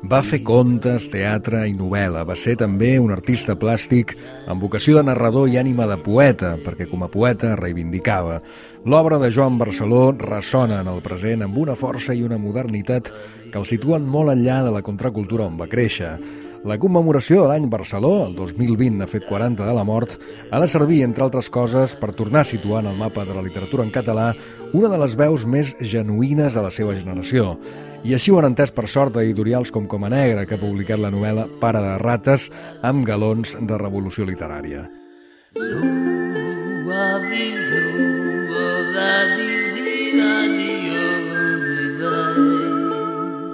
Va fer contes, teatre i novel·la. Va ser també un artista plàstic amb vocació de narrador i ànima de poeta, perquè com a poeta reivindicava. L'obra de Joan Barceló ressona en el present amb una força i una modernitat que el situen molt enllà de la contracultura on va créixer. La commemoració de l'any Barceló, el 2020 ha fet 40 de la mort, ha de servir, entre altres coses, per tornar a situar en el mapa de la literatura en català una de les veus més genuïnes de la seva generació. I així ho han entès per sort editorials com Coma Negra, que ha publicat la novel·la Pare de rates amb galons de revolució literària.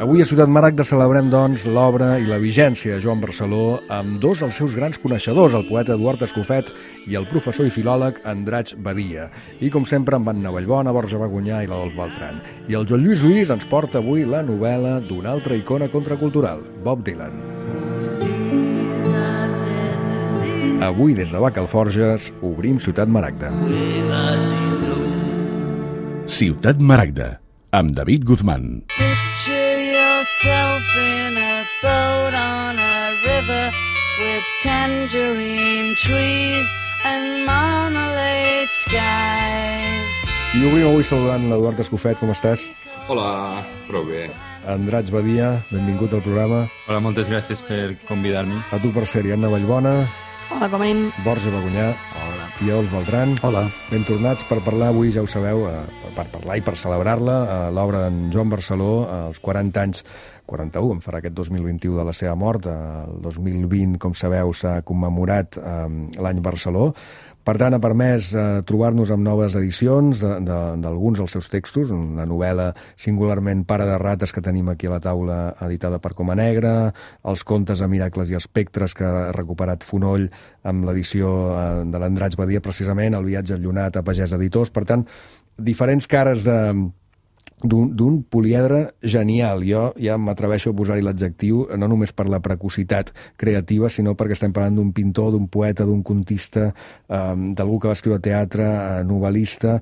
Avui a Ciutat Maragda celebrem, doncs, l'obra i la vigència de Joan Barceló amb dos dels seus grans coneixedors, el poeta Eduard Escofet i el professor i filòleg Andratx Badia. I, com sempre, amb Anna Vallbona, Borja Bagunyà i l'Adolf Beltran. I el Joan Lluís Luis ens porta avui la novel·la d'una altra icona contracultural, Bob Dylan. Avui, des de Bacalforges, obrim Ciutat Maragda. Ciutat Maragda, amb David Guzmán. Yourself in a boat on a river with tangerine trees and marmalade skies. I obrim avui saludant l'Eduard Escofet, com estàs? Hola, prou bé. Andratx Badia, benvingut al programa. Hola, moltes gràcies per convidar-me. A tu per ser-hi, Anna Vallbona. Hola, com anem? Borja Bagunyà. Hola. I Adolf Beltran. Hola. Ben tornats per parlar avui, ja ho sabeu, per parlar i per celebrar-la, l'obra d'en Joan Barceló, als 40 anys, 41, en farà aquest 2021 de la seva mort. El 2020, com sabeu, s'ha commemorat l'any Barceló. Per tant, ha permès trobar-nos amb noves edicions d'alguns dels seus textos, una novel·la singularment Pare de rates que tenim aquí a la taula, editada per Coma Negra, els contes de Miracles i espectres que ha recuperat Fonoll amb l'edició de l'Andratx Badia, precisament, el viatge enllunat a Pagès Editors. Per tant, diferents cares d'un poliedre genial. Jo ja m'atreveixo a posar-hi l'adjectiu, no només per la precocitat creativa, sinó perquè estem parlant d'un pintor, d'un poeta, d'un contista, d'algú que va escriure teatre, novel·lista,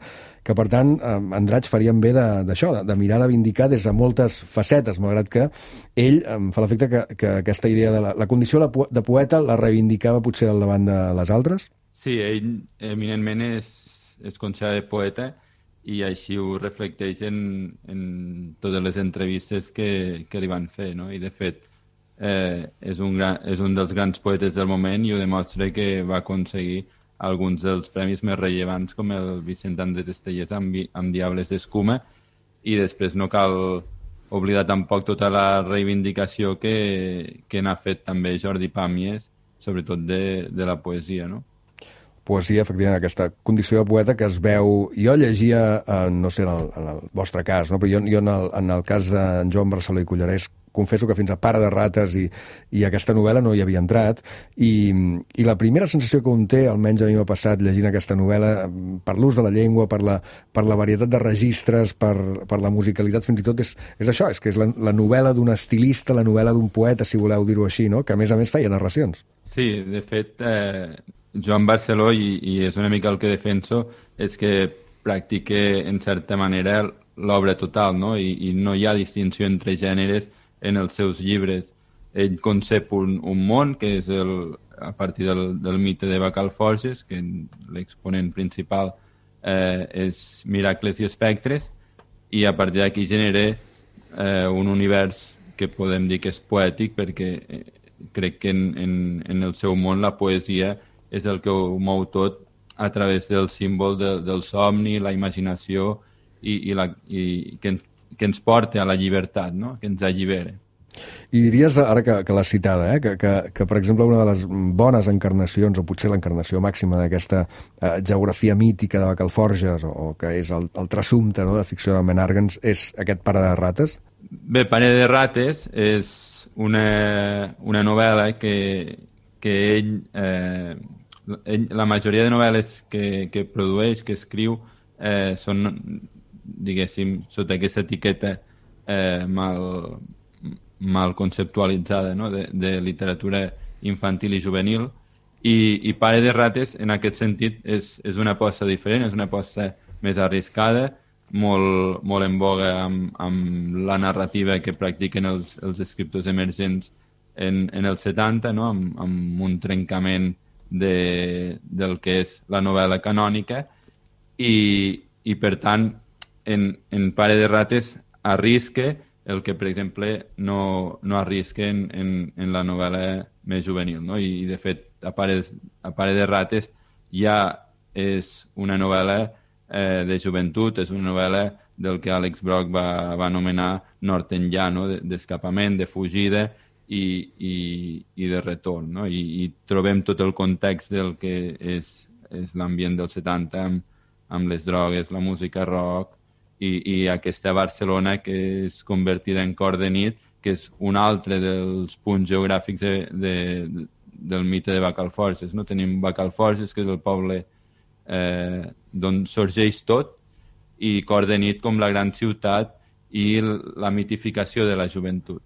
que per tant Andratx farien bé d'això, de mirar de vindicar des de moltes facetes, malgrat que ell em fa l'efecte que aquesta idea de la condició de poeta la reivindicava potser al davant de les altres? Sí, ell eminentment és considerat poeta i així ho reflecteix en totes les entrevistes que li van fer, no? I de fet és un dels grans poetes del moment i ho demostra que va aconseguir alguns dels premis més rellevants, com el Vicent Andrés Estellés amb Diables d'Escuma, i després no cal oblidar tampoc tota la reivindicació que n'ha fet també Jordi Pàmies, sobretot de la poesia, no? Poesia, efectivament, aquesta condició de poeta que es veu... Jo llegia, no sé en el vostre cas, no? Però jo en el cas d'en Joan Barceló i Cullerès confesso que fins a Pare de rates i aquesta novel·la no hi havia entrat i la primera sensació que un té, almenys a mi m'ha passat llegint aquesta novel·la, per l'ús de la llengua, per la varietat de registres, per la musicalitat, fins i tot és això, és que és la novel·la d'un estilista, la novel·la d'un poeta, si voleu dir-ho així, no? Que a més feia narracions. Sí, de fet, Joan Barceló, i és una mica el que defenso, és que practique en certa manera l'obra total, no? I no hi ha distinció entre gèneres en els seus llibres. Ell concep un món que és a partir del mite de Bacalforges, que l'exponent principal és Miracles i espectres, i a partir d'aquí genera un univers que podem dir que és poètic, perquè crec que en el seu món la poesia és el que ho mou tot a través del símbol del somni, la imaginació i que ens porta a la llibertat, no? Que ens allibera. I diries, ara que l'has citada, que per exemple una de les bones encarnacions, o potser l'encarnació màxima d'aquesta geografia mítica de Bacalforges, o que és el trassumpte, no?, de ficció de Menàrguens, és aquest Pare de rates? Bé, Pare de rates és una novel·la que ell, la majoria de novel·les que produeix, que escriu, són, diguéssim, sota aquesta etiqueta mal conceptualitzada, no?, de literatura infantil i juvenil, i Pare de rates, en aquest sentit, és una aposta diferent, és una aposta més arriscada, molt en boga amb la narrativa que practiquen els escriptors emergents en els 70, no? amb un trencament del que és la novel·la canònica i per tant en Pare de rates arrisca el que, per exemple, no arrisca en la novel·la més juvenil, no? I de fet, a Pare de rates ja és una novel·la de joventut, és una novel·la del que Alex Brock va anomenar nord enllà, no? D'escapament, de fugida i de retorn, no? I trobem tot el context del que és l'ambient dels 70 amb les drogues, la música rock i aquesta Barcelona que és convertida en cor de nit, que és un altre dels punts geogràfics del mite de Bacalforges, no? Tenim Bacalforges, que és el poble d'on sorgeix tot, i cor de nit com la gran ciutat i la mitificació de la joventut.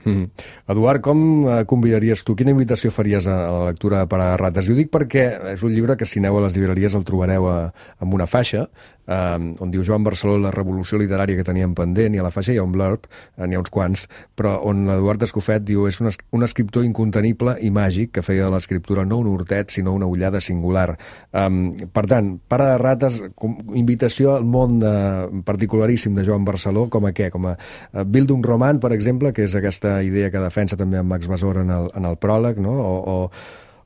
Eduard, com convidaries tu? Quina invitació faries a la lectura de Pare de rates? I ho dic perquè és un llibre que si aneu a les llibreries el trobareu amb una faixa on diu Joan Barceló, la revolució literària que teníem pendent, i a la faixa hi ha un blurb, n'hi ha uns quants, però on l'Eduard Escofet diu és un escriptor incontenible i màgic que feia de l'escriptura no un hortet, sinó una ullada singular. Per tant, Pare de rates, invitació al món particularíssim de Joan Barceló, com a què? Com a Bildung Roman, per exemple, que és aquesta idea que defensa també amb Max Besor en el pròleg, no?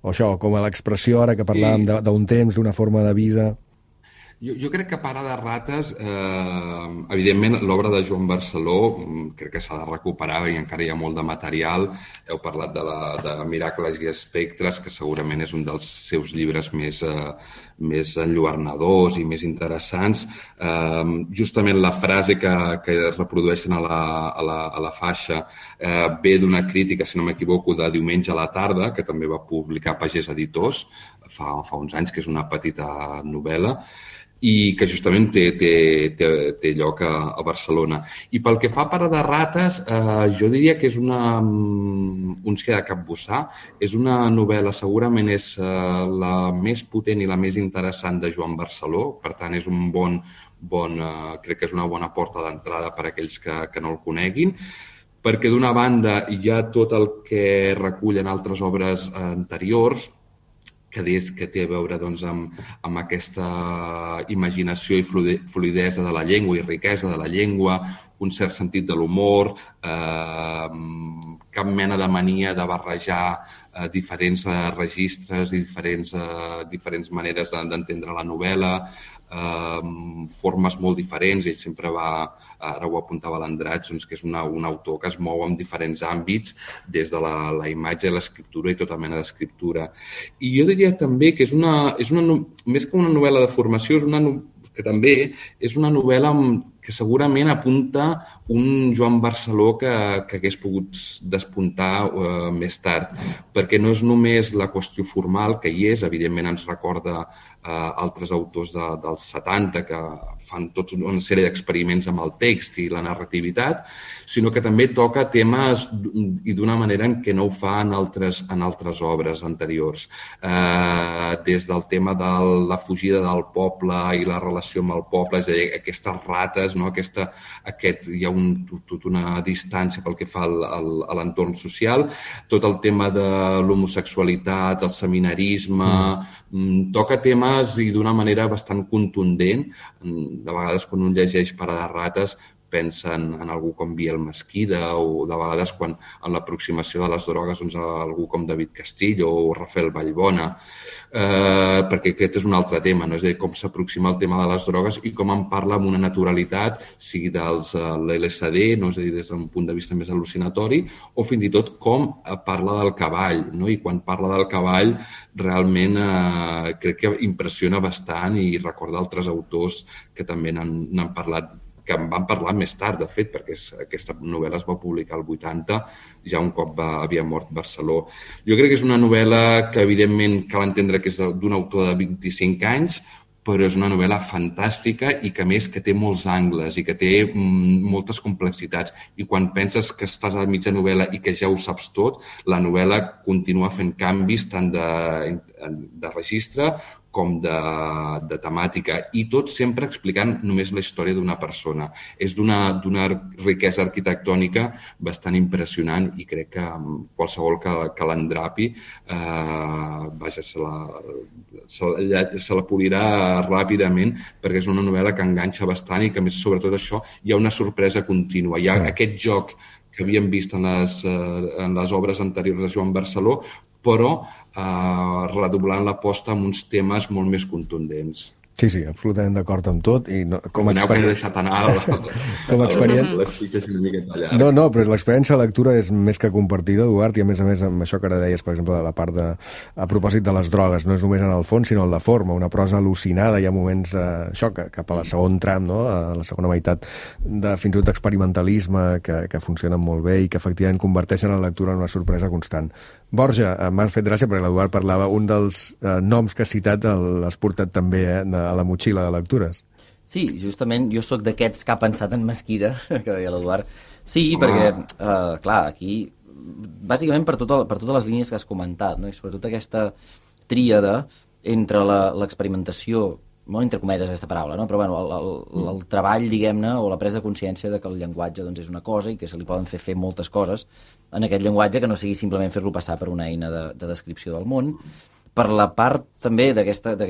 O això, com a l'expressió ara que parlàvem d'un temps, d'una forma de vida. Jo crec que Pare de rates, evidentment, l'obra de Joan Barceló crec que s'ha de recuperar i encara hi ha molt de material. Heu parlat de Miracles i espectres, que segurament és un dels seus llibres més enlluernadors i més interessants. Justament la frase que reprodueixen a la faixa ve d'una crítica, si no m'equivoco, de Diumenge a la tarda, que també va publicar Pagès Editors fa uns anys, que és una petita novel·la, i que justament té lloc a Barcelona. I pel que fa a Pare de rates, jo diria que és uns que de capbussar. És una novel·la, segurament és la més potent i la més interessant de Joan Barceló, per tant és un crec que és una bona porta d'entrada per a aquells que no el coneguin, perquè d'una banda hi ha tot el que recullen altres obres anteriors, que té a veure amb aquesta imaginació i fluïdesa de la llengua i riquesa de la llengua, un cert sentit de l'humor, cap mena de mania de barrejar diferents registres i diferents maneres d'entendre la novel·la, formes molt diferents. Ell sempre ara ho apuntava l'Andratx, que és un autor que es mou en diferents àmbits, des de la imatge, l'escriptura i tota mena d'escriptura. I jo diria també que és més que una novel·la de formació, que també és una novel·la que segurament apunta un Joan Barceló que hagués pogut despuntar més tard, perquè no és només la qüestió formal, que hi és, evidentment ens recorda altres autors dels 70 que fan tota una sèrie d'experiments amb el text i la narrativitat, sinó que també toca temes i d'una manera en què no ho fa en altres obres anteriors. Des del tema de la fugida del poble i la relació amb el poble, és a dir, aquestes rates, no? Hi ha tota una distància pel que fa a l'entorn social, tot el tema de l'homosexualitat, el seminarisme, toca temes i d'una manera bastant contundent. De vegades quan un llegeix Pare de rates pensa en algú com Biel Mesquida o de vegades quan en l'aproximació de les drogues algú com David Castillo o Rafael Vallbona, perquè aquest és un altre tema, no? És a dir, com s'aproxima el tema de les drogues i com en parla amb una naturalitat, sigui dels l'LSD, no? És a dir, des d'un punt de vista més al·lucinatori, o fins i tot com parla del cavall, no? I quan parla del cavall realment crec que impressiona bastant i recorda altres autors que també n'han parlat, que en van parlar més tard, de fet, perquè aquesta novel·la es va publicar al 80, ja un cop havia mort Barceló. Jo crec que és una novel·la que, evidentment, cal entendre que és d'un autor de 25 anys, però és una novel·la fantàstica i que, a més, que té molts angles i que té moltes complexitats. I quan penses que estàs a mitja novel·la i que ja ho saps tot, la novel·la continua fent canvis tant de registre com de temàtica, i tot sempre explicant només la història d'una persona. És d'una riquesa arquitectònica bastant impressionant i crec que qualsevol que l'endrapi se la polirà ràpidament, perquè és una novel·la que enganxa bastant i que, a més, sobretot això, hi ha una sorpresa contínua. Hi ha aquest joc que havíem vist en les obres anteriors de Joan Barceló, però redoblant l'aposta amb uns temes molt més contundents. Sí, absolutament d'acord amb tot. I com a experiència... deixat anar les fitxes una miqueta allà. No, però l'experiència de lectura és més que compartida, Eduard, i a més amb això que ara deies, per exemple, de la part a propòsit de les drogues, no és només en el fons, sinó en la forma, una prosa al·lucinada, hi ha moments això, cap a la segon tram, no? A la segona meitat, fins i tot d'experimentalisme, que funcionen molt bé i que efectivament converteixen la lectura en una sorpresa constant. Borja, m'ha fet gràcia perquè l'Eduard parlava, un dels noms que has citat l'has portat també a la motxilla de lectures. Sí, justament jo sóc d'aquests que ha pensat en Mesquida, que deia l'Eduard. Sí, perquè, clar, aquí, bàsicament per totes les línies que has comentat, no? I sobretot aquesta tríada entre l'experimentació, molt entre cometes aquesta paraula, no? Però bueno, el treball, diguem-ne, o la presa de consciència de que el llenguatge doncs, és una cosa i que se li poden fer moltes coses en aquest llenguatge, que no sigui simplement fer-lo passar per una eina de descripció del món. Per la part també d'aquesta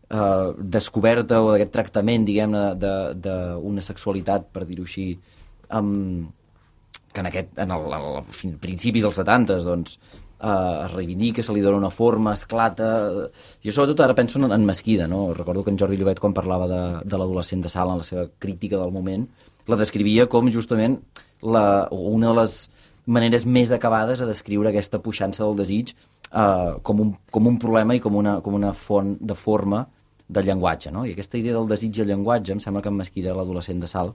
descoberta o d'aquest tractament, diguem-ne, d'una sexualitat, per dir-ho així, que en principis dels 70s, doncs, es reivindica, se li dona una forma, esclata... Jo sobretot ara penso en Mesquida, no? Recordo que en Jordi Llobet, quan parlava de l'adolescent de Sala en la seva crítica del moment, la descrivia com justament una de les maneres més acabades a descriure aquesta puixança del desig com un problema i com una font de forma del llenguatge, no? I aquesta idea del desig i el llenguatge, em sembla que en Mesquida, l'adolescent de Sal,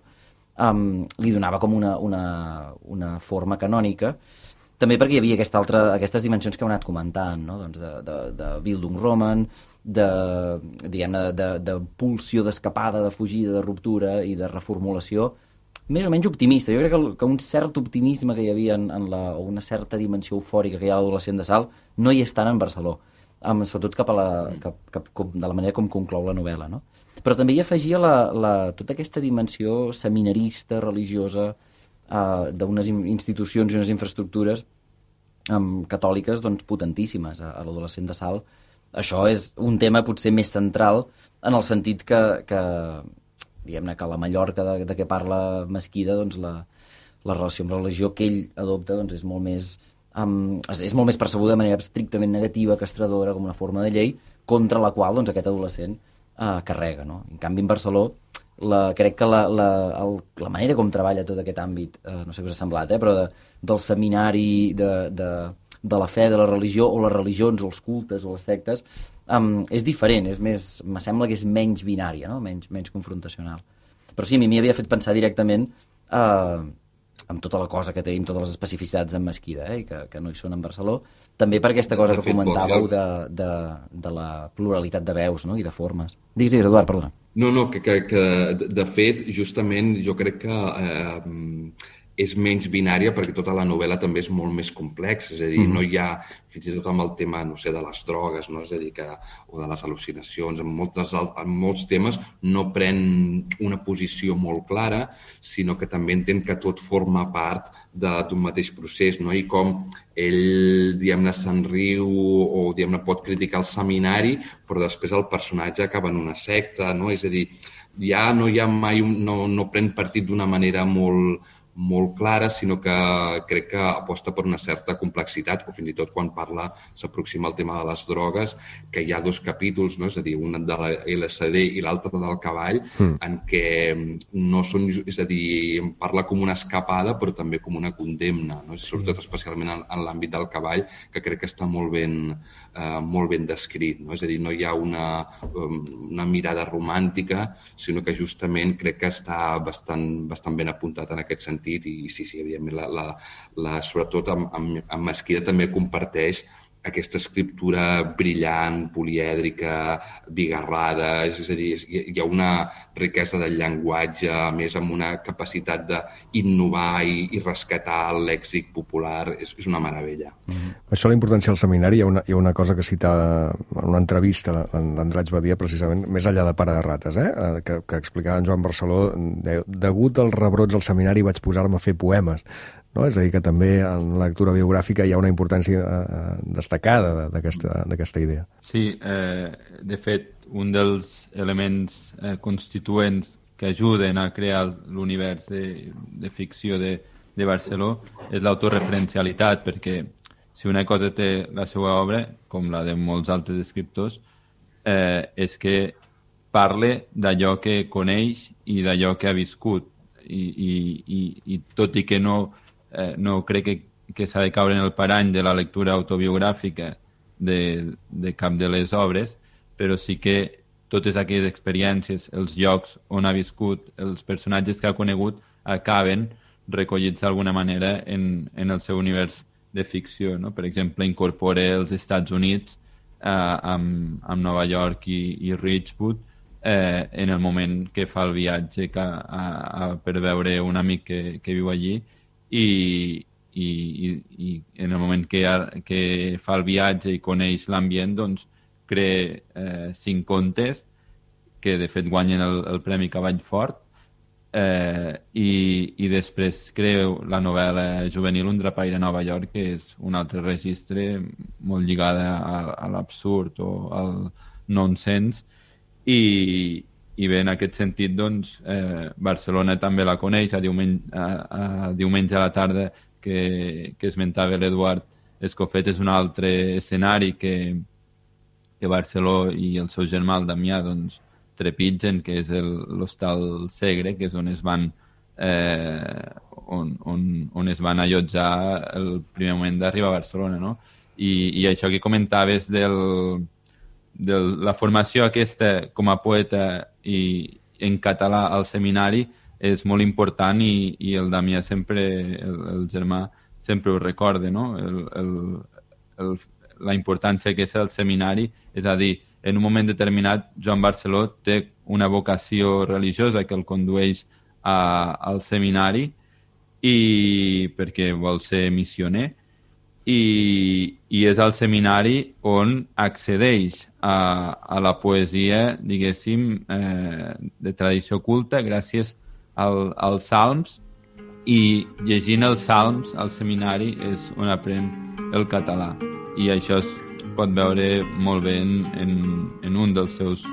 li donava com una forma canònica, també perquè hi havia aquestes dimensions que heu anat comentant, no? Doncs de Bildungsroman, de pulsió d'escapada, de fugida, de ruptura i de reformulació, més o menys optimista. Jo crec que un cert optimisme que hi havia o una certa dimensió eufòrica que hi ha a l'adolescent de Sal no hi és tant en Barceló, sobretot cap de la manera com conclou la novel·la, no? Però també hi afegia tota aquesta dimensió seminarista, religiosa, d'unes institucions i unes infraestructures catòliques doncs, potentíssimes a l'adolescent de Sal. Això és un tema potser més central en el sentit que diguem-ne que la Mallorca de què parla Mesquida, doncs la relació amb la religió que ell adopta doncs, és molt més percebuda de manera estrictament negativa, castradora, com una forma de llei, contra la qual doncs, aquest adolescent carrega. No? En canvi, en Barceló, crec que la manera com treballa tot aquest àmbit, no sé què us ha semblat, però del seminari, de la fe, de la religió, o les religions, o els cultes, o les sectes, és diferent, me sembla que és menys binària, no? menys confrontacional. Però sí, a mi m'hi havia fet pensar directament amb tota la cosa que tenim, totes les especificitats en Mesquida, i que no hi són en Barceló, també per aquesta cosa que comentàveu de la pluralitat de veus, no? I de formes. Digues, Eduard, perdona. No, que de fet, justament, jo crec que és menys binària perquè tota la novel·la també és molt més complexa, és a dir, no hi ha, fins i tot amb el tema, no sé, de les drogues, no? És a dir, o de les al·lucinacions, en molts temes no pren una posició molt clara, sinó que també entén que tot forma part d'un mateix procés, no? I com ell, diguem-ne, se'n riu o, diguem-ne, pot criticar el seminari, però després el personatge acaba en una secta, no? És a dir, ja no hi ha mai, no pren partit d'una manera molt clara, sinó que crec que aposta per una certa complexitat, o fins i tot quan s'aproxima al tema de les drogues, que hi ha dos capítols, no? És a dir, un de la LSD i l'altre del cavall, en què no són, és a dir, parla com una escapada, però també com una condemna, no? Sobretot especialment en l'àmbit del cavall, que crec que està molt ben descrit, no? És a dir, no hi ha una mirada romàntica, sinó que justament crec que està bastant ben apuntat en aquest sentit. I sí, evidentment, sobretot amb Mesquida també comparteix aquesta escriptura brillant, polièdrica, bigarrada, és a dir, hi ha una riquesa del llenguatge, a més amb una capacitat d'innovar i rescatar el lèxic popular, és una meravella. Això, la importància del seminari, hi ha una cosa que citava en una entrevista l'Andratx Badia, precisament, més enllà de Pare de Rates, que explicava en Joan Barceló, degut als rebrots al seminari vaig posar-me a fer poemes. No? És a dir, que també en la lectura biogràfica hi ha una importància destacada d'aquesta idea. Sí, de fet, un dels elements constituents que ajuden a crear l'univers de ficció de Barceló és l'autoreferencialitat, perquè si una cosa té la seva obra, com la de molts altres escriptors, és que parle d'allò que coneix i d'allò que ha viscut. I tot i que no crec que s'ha de caure en el parany de la lectura autobiogràfica de cap de les obres, però sí que totes aquelles experiències, els llocs on ha viscut, els personatges que ha conegut, acaben recollits d'alguna manera en el seu univers de ficció. No? Per exemple, incorpora els Estats Units amb Nova York i Ridgewood en el moment que fa el viatge per veure un amic que viu allí i en el moment que fa el viatge i coneix l'ambient, doncs crea 5 contes que de fet guanyen el Premi Cavall Fort i després crea la novel·la juvenil Un drapaire a Nova York, que és un altre registre molt lligada a l'absurd o al nonsens i bé, en aquest sentit doncs, Barcelona també la coneix. A diumenge a la tarda que esmentava l'Eduard Escofet és un altre escenari que Barceló i el seu germà el Damià doncs, trepitgen, que és l'Hostal Segre, que és on es van on es van allotjar el primer moment d'arribar a Barcelona, no? I això que comentaves de la formació aquesta com a poeta i en català al seminari és molt important i el Damià sempre, el germà, sempre ho recorda, no? La importància que és el seminari, és a dir, en un moment determinat Joan Barceló té una vocació religiosa que el condueix al seminari perquè vol ser missioner i és al seminari on accedeix a la poesia, diguéssim, de tradició culta gràcies als salms i llegint els salms al seminari és on aprèn el català. I això es pot veure molt bé en un dels seus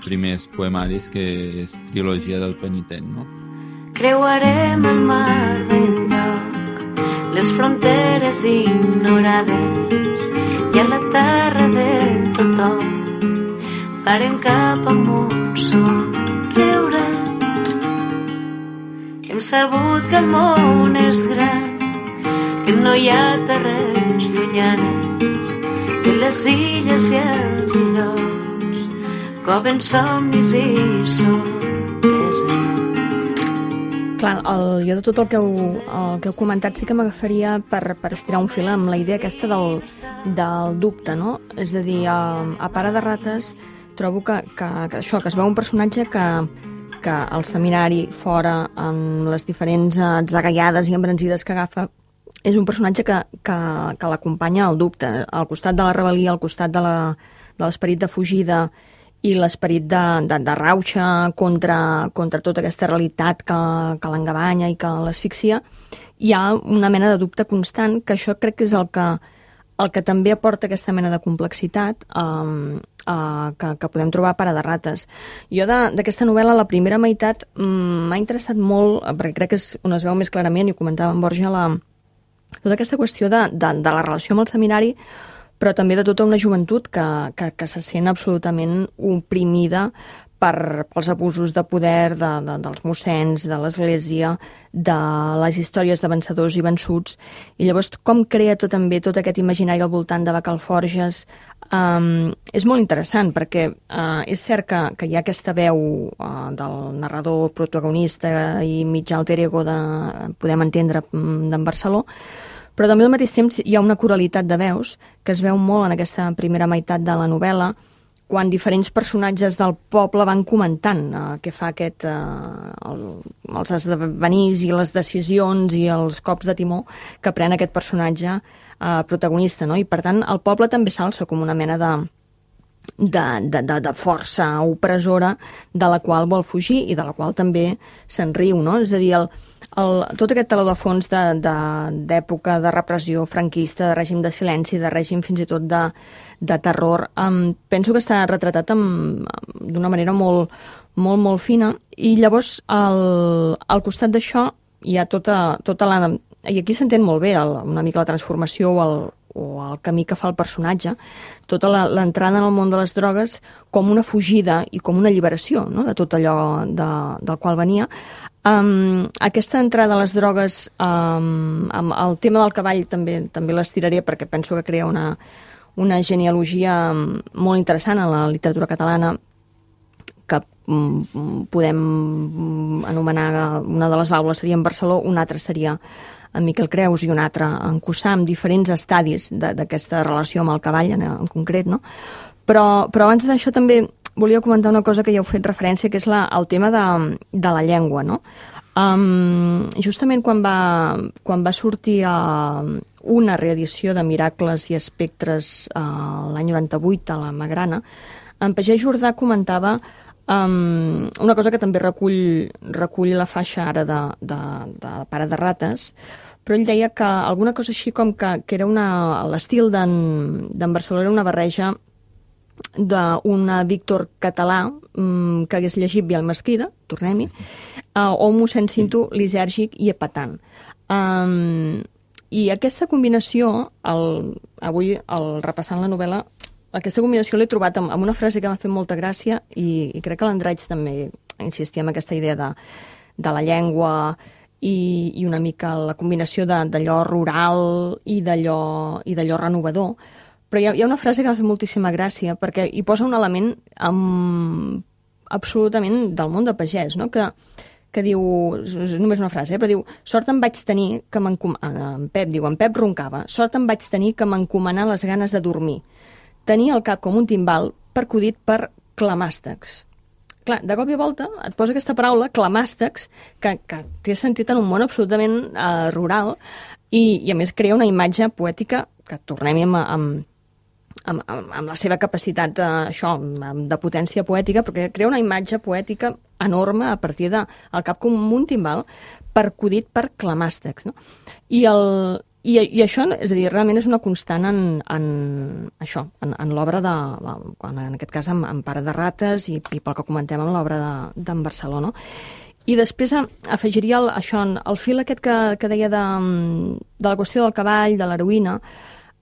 primers poemaris, que és Trilogia del Penitent, no? Creuarem el mar d'enlloc, les fronteres ignorades, i a la terra de tothom farem cap amunt somriure. Hem sabut que el món és gran, que no hi ha terres llunyanes, que les illes i els illots coven somnis i sorpreses. Clar, jo de tot el que heu comentat sí que m'agafaria per estirar un fil amb la idea aquesta del dubte, no? És a dir, a Pare de Rates trobo que això, que es veu un personatge que al seminari, fora, amb les diferents atzagaiades i embranzides que agafa, és un personatge que l'acompanya al dubte, al costat de la rebel·lia, al costat de l'esperit de fugida i l'esperit de rauxa contra tota aquesta realitat que l'engabanya i que l'asfixia. Hi ha una mena de dubte constant, que això crec que és el que també aporta aquesta mena de complexitat que podem trobar a Pare de Rates. Jo d'aquesta novel·la, la primera meitat, m'ha interessat molt, perquè crec que és on es veu més clarament, i ho comentava en Borja, tota aquesta qüestió de la relació amb el seminari, però també de tota una joventut que se sent absolutament oprimida pels abusos de poder dels mossens, de l'Església, de les històries de vencedors i vençuts. I llavors com crea tot aquest imaginari al voltant de Bacalforges és molt interessant, perquè és cert que hi ha aquesta veu del narrador protagonista i mig alter ego podem entendre d'en Barceló, però també al mateix temps hi ha una coralitat de veus que es veu molt en aquesta primera meitat de la novel·la, quan diferents personatges del poble van comentant què fa els esdevenís i les decisions i els cops de timó que pren aquest personatge protagonista, no? I per tant el poble també s'alça com una mena de força opressora de la qual vol fugir i de la qual també se'n riu, no? És a dir, tot aquest teló de fons d'època de repressió franquista, de règim de silenci, de règim fins i tot de terror, penso que està retratat d'una manera molt, molt, molt fina, i llavors al costat d'això hi ha tota la... I aquí s'entén molt bé una mica la transformació o el camí que fa el personatge, tota l'entrada en el món de les drogues com una fugida i com una alliberació, no?, de tot allò del qual venia. Aquesta entrada a les drogues, amb el tema del cavall també l'estiraré perquè penso que crea una genealogia molt interessant en la literatura catalana, que podem anomenar, una de les baules seria en Barceló, una altra seria en Miquel Creus i un altre en Cussà, amb diferents estadis d'aquesta relació amb el cavall en concret, no? Però abans d'això també volia comentar una cosa que ja heu fet referència, que és el tema de la llengua, no? Justament quan va sortir una reedició de Miracles i Espectres l'any 98 a la Magrana, en Pagès Jordà comentava una cosa que també recull la faixa ara de Pare de rates, però ell deia que alguna cosa així com que era l'estil d'en Barceló era una barreja d'un Víctor català que hagués llegit Biel Mesquida, tornem-hi, o un mossèn Cinto lisèrgic i epatant. I aquesta combinació, avui repassant la novel·la, aquesta combinació l'he trobat amb una frase que m'ha fet molta gràcia i crec que l'Andreig també insistia en aquesta idea de la llengua i una mica la combinació d'allò rural i d'allò renovador. Però hi ha una frase que m'ha fet moltíssima gràcia perquè hi posa un element absolutament del món de pagès, no? Que diu, és només una frase, però diu: sort em vaig tenir que en Pep roncava, sort em vaig tenir que m'encomanar les ganes de dormir. Tenia el cap com un timbal percudit per clamàstecs. Clar, de cop i volta et posa aquesta paraula, clamàstecs, que té sentit en un món absolutament rural i a més crea una imatge poètica que tornem-hi amb la seva capacitat de potència poètica, perquè crea una imatge poètica enorme a partir del cap com un timbal percudit per clamàstecs, no? I això, és a dir, realment és una constant en l'obra en aquest cas en Pare de rates i pel que comentem en l'obra d'en Barceló, no? I després afegiria el fil aquest que deia de la qüestió del cavall, de l'heroïna.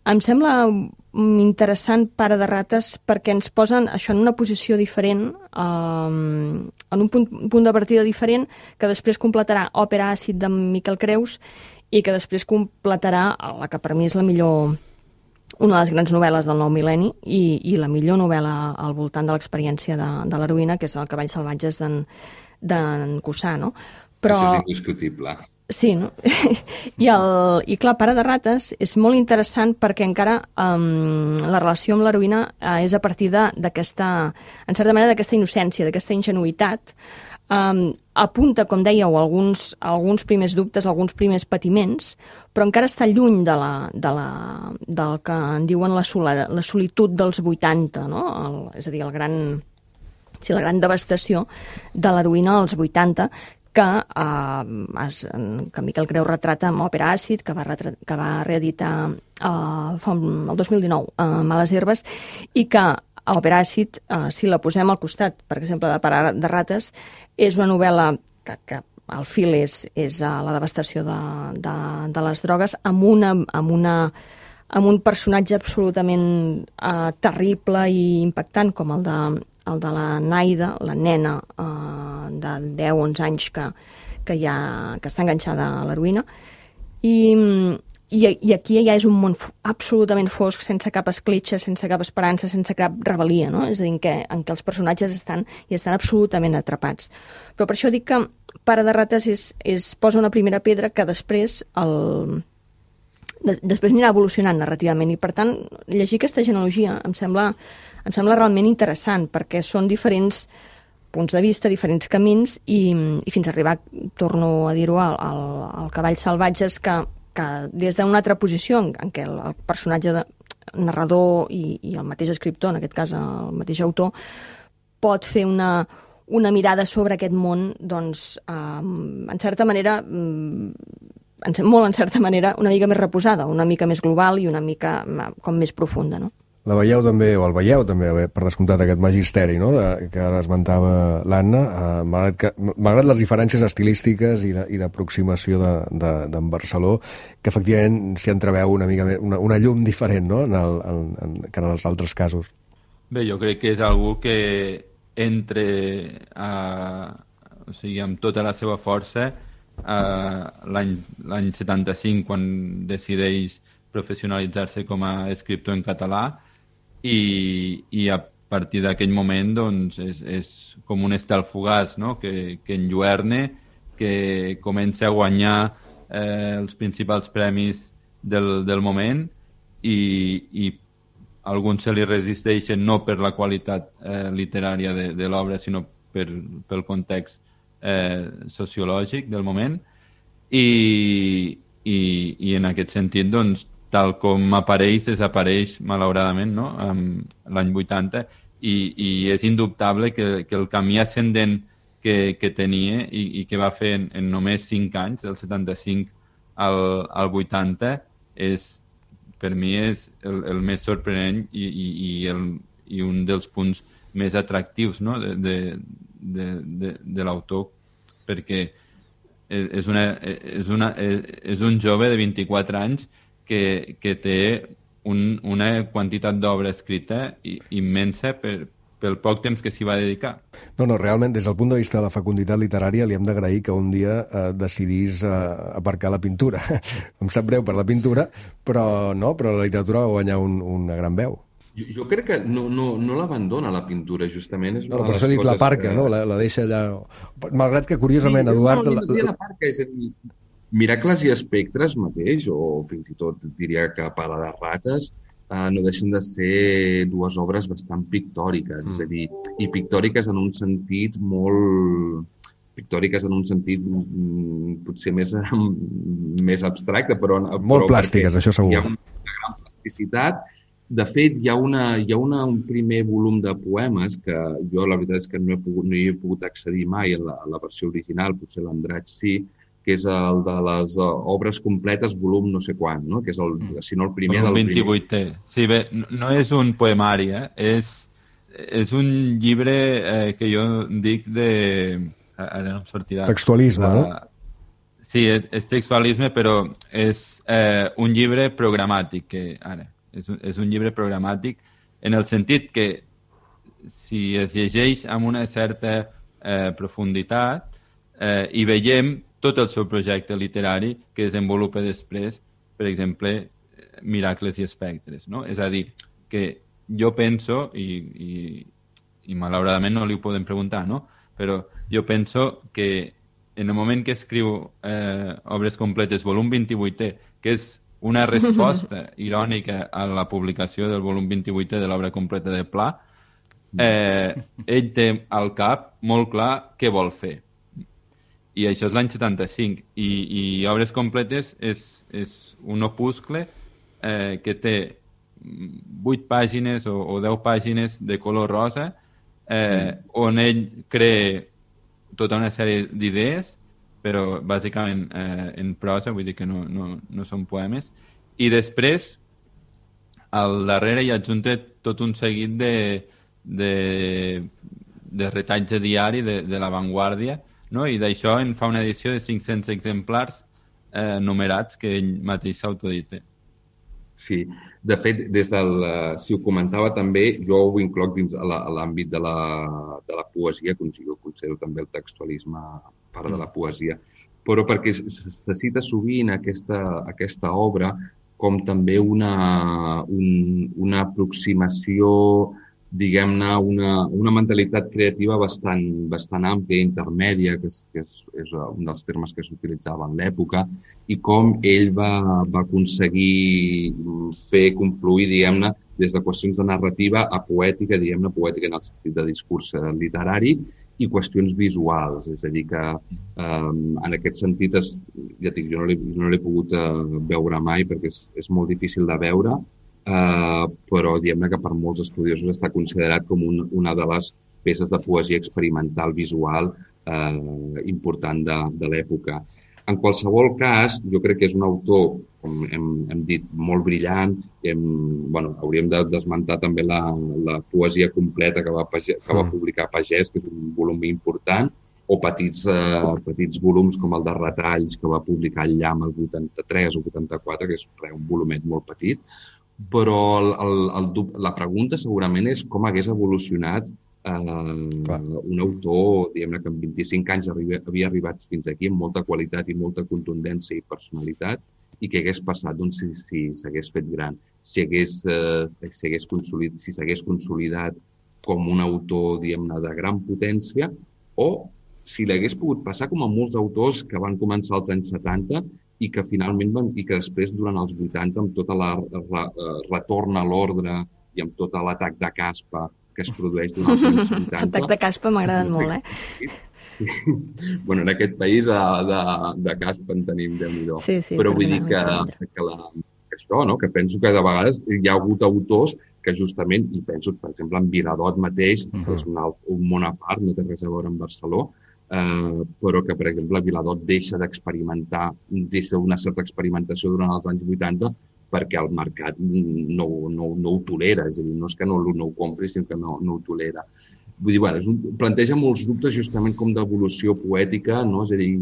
Em sembla interessant Pare de rates perquè ens posen això en una posició diferent, en un punt de partida diferent, que després completarà Òpera àcid de Miquel Creus i que després completarà la que per mi és una de les grans novel·les del nou mil·lenni i la millor novel·la al voltant de l'experiència de l'heroïna, que és El Cavalls salvatges d'en Cussà, no? Però... Això és indiscutible. Sí, no? I clar, Pare de rates és molt interessant perquè encara la relació amb l'heroïna és a partir d'aquesta, en certa manera, d'aquesta innocència, d'aquesta ingenuïtat. Apunta, com dèieu, alguns primers dubtes, alguns primers patiments, però encara està lluny del que en diuen la solitud dels 80, no? És a dir, la gran devastació de l'heroïna als 80, que Miquel Creus retrata amb Òpera àcid, que va reeditar el 2019 Males herbes, i que Òpera àcid, si la posem al costat, per exemple, de Pare de rates, és una novel·la que el fil és la devastació de les drogues, amb un personatge absolutament terrible i impactant, com el de la Naida, la nena de 10-11 anys que està enganxada a l'heroïna. I aquí ja és un món absolutament fosc, sense cap escletxa, sense cap esperança, sense cap rebel·lia, no? És a dir, en què els personatges estan absolutament atrapats. Però per això dic que Pare de rates posa una primera pedra que després després anirà evolucionant narrativament, i per tant llegir aquesta genealogia em sembla realment interessant, perquè són diferents punts de vista, diferents camins, i fins a arribar, torno a dir-ho, al Cavalls salvatges, que des d'una altra posició en què el personatge narrador i el mateix escriptor, en aquest cas el mateix autor, pot fer una mirada sobre aquest món, doncs, en certa manera, molt en certa manera, una mica més reposada, una mica més global i una mica com més profunda, no? La veieu també, o el veieu també, per descomptat, aquest magisteri, no?, que ara esmentava l'Anna, malgrat les diferències estilístiques i d'aproximació d'en Barceló, que efectivament s'hi entreveu una mica més, una llum diferent, no?, que en els altres casos. Bé, jo crec que és algú que entre, o sigui, amb tota la seva força, l'any 75, quan decideix professionalitzar-se com a escriptor en català, i a partir d'aquell moment doncs, és com un estel fugaç, no?, que enlluerne, que comença a guanyar els principals premis del moment, i alguns se li resisteixen no per la qualitat literària de l'obra, sinó pel context sociològic del moment, i en aquest sentit, doncs, tal com apareix, desapareix, malauradament, no?, l'any 80, i és indubtable que el camí ascendent que tenia i que va fer en només 5 anys, del 75 al 80, per mi és el més sorprenent i un dels punts més atractius, no?, de l'autor, perquè és un jove de 24 anys que té una quantitat d'obra escrita immensa pel poc temps que s'hi va dedicar. No, realment, des del punt de vista de la fecunditat literària, li hem d'agrair que un dia decidís aparcar la pintura. Em sap greu per la pintura, però la literatura va guanyar una gran veu. Jo crec que no l'abandona, la pintura, justament. És per això he dit l'aparca, no? La deixa allà... Malgrat que, curiosament, Eduard... L'aparca, és a dir, Miracles i espectres mateix, o fins i tot diria que Para de rates, no deixen de ser 2 obres bastant pictòriques, és a dir, i pictòriques en un sentit potser més abstracte, però... Molt plàstiques, això segur. Hi ha una gran plasticitat. De fet, hi ha un primer volum de poemes que jo, la veritat és que no hi he pogut accedir mai a la versió original, potser l'Andratx sí, que és el de les obres completes, volum no sé quan, no?, que és si no el primer del primer. 28è. Sí, bé, no és un poemari, és un llibre que jo dic de... Ara no em sortirà. Textualisme, no? Sí, és textualisme, però és un llibre programàtic, és un llibre programàtic en el sentit que si es llegeix amb una certa profunditat i veiem tot el seu projecte literari que desenvolupa després, per exemple, Miracles i espectres, no? És a dir, que jo penso, i malauradament no li ho podem preguntar, no?, però jo penso que en el moment que escriu Obres completes, volum 28è, que és una resposta irònica a la publicació del volum 28è de l'obra completa de Pla, ell té al cap molt clar què vol fer. I això és l'any 75. I Obres completes és un opuscle que té 8 pàgines o 10 pàgines de color rosa, on ell crea tota una sèrie d'idees, però bàsicament en prosa, vull dir que no són poemes. I després, al darrere hi adjunta tot un seguit de retalls de diari de La Vanguardia, no? I d'això en fa una edició de 500 exemplars numerats que ell mateix s'autodita. Sí, de fet, si ho comentava també, jo ho incloc dins l'àmbit de la poesia, jo considero també el textualisme part de la poesia, però perquè se cita sovint aquesta obra com també una aproximació diguem-ne, una mentalitat creativa bastant àmplia, intermèdia, que és un dels termes que s'utilitzaven en l'època, i com ell va aconseguir fer confluir, diguem-ne, des de qüestions de narrativa a poètica, diguem-ne, poètica en el sentit de discurs literari, i qüestions visuals. És a dir, que en aquest sentit, ja dic, jo no l'he pogut veure mai perquè és molt difícil de veure, però diguem-ne que per molts estudiosos està considerat com una de les peces de poesia experimental visual important de l'època. En qualsevol cas, jo crec que és un autor, com hem dit, molt brillant. Hauríem de desmentar també la poesia completa que va publicar Pagès, que és un volum important, o petits volums com el de retalls que va publicar el Llamp el 83 o 84, que és un volumet molt petit. Però la pregunta segurament és com hagués evolucionat un autor, diguem-ne, que en 25 anys havia arribat fins aquí amb molta qualitat i molta contundència i personalitat, i què hagués passat si s'hagués fet gran, si s'hagués consolidat com un autor, diguem-ne, de gran potència, o si l'hagués pogut passar com a molts autors que van començar als anys 70 i que finalment i que després, durant els 80, amb tota la retorn a l'ordre i amb tot l'atac de caspa que es produeix durant els anys 80... Atac de caspa m'ha agradat molt, Bueno, en aquest país de caspa en tenim Déu-n'hi-do. Sí, però vull dir que això, no? Que penso que de vegades hi ha hagut autors que justament, i penso, per exemple, en Viladot mateix, que és un món a part, no té res a veure amb Barcelona, però que, per exemple, Viladot deixa una certa experimentació durant els anys 80 perquè el mercat no ho tolera, és a dir, no és que no ho compri, sinó que no ho tolera. Vull dir, planteja molts dubtes justament com d'evolució poètica, no? És a dir,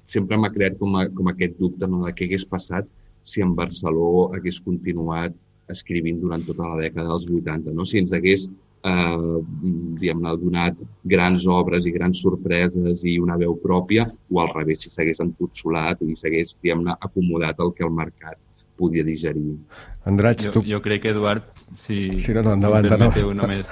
sempre m'ha creat com aquest dubte, no?, de què hagués passat si en Barceló hagués continuat escrivint durant tota la dècada dels 80, no? Si ens hagués diguem-ne, donat grans obres i grans sorpreses i una veu pròpia, o al revés, si s'hagués entotsolat i s'hagués, diguem-ne, acomodat el que el mercat podia digerir. Andratx, tu... Jo crec que, Eduard, si endavant, permeteu només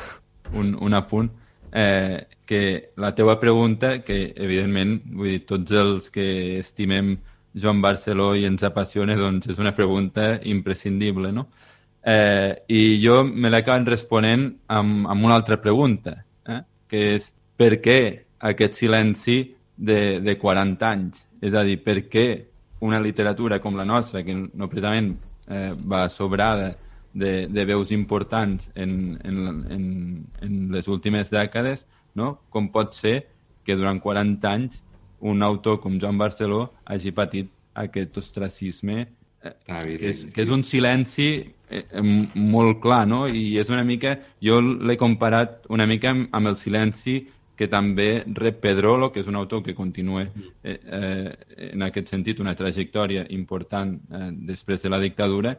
un apunt, que la teua pregunta, que evidentment, vull dir, tots els que estimem Joan Barceló i ens apassiona, doncs és una pregunta imprescindible, no? I jo me l'he acabat responent amb una altra pregunta, que és per què aquest silenci de 40 anys? És a dir, per què una literatura com la nostra, que no precisament va sobrada de veus importants en les últimes dècades, no? Com pot ser que durant 40 anys un autor com Joan Barceló hagi patit aquest ostracisme, que és un silenci molt clar, no? I és una mica... Jo l'he comparat una mica amb el silenci que també rep Pedrolo, que és un autor que continua en aquest sentit una trajectòria important després de la dictadura,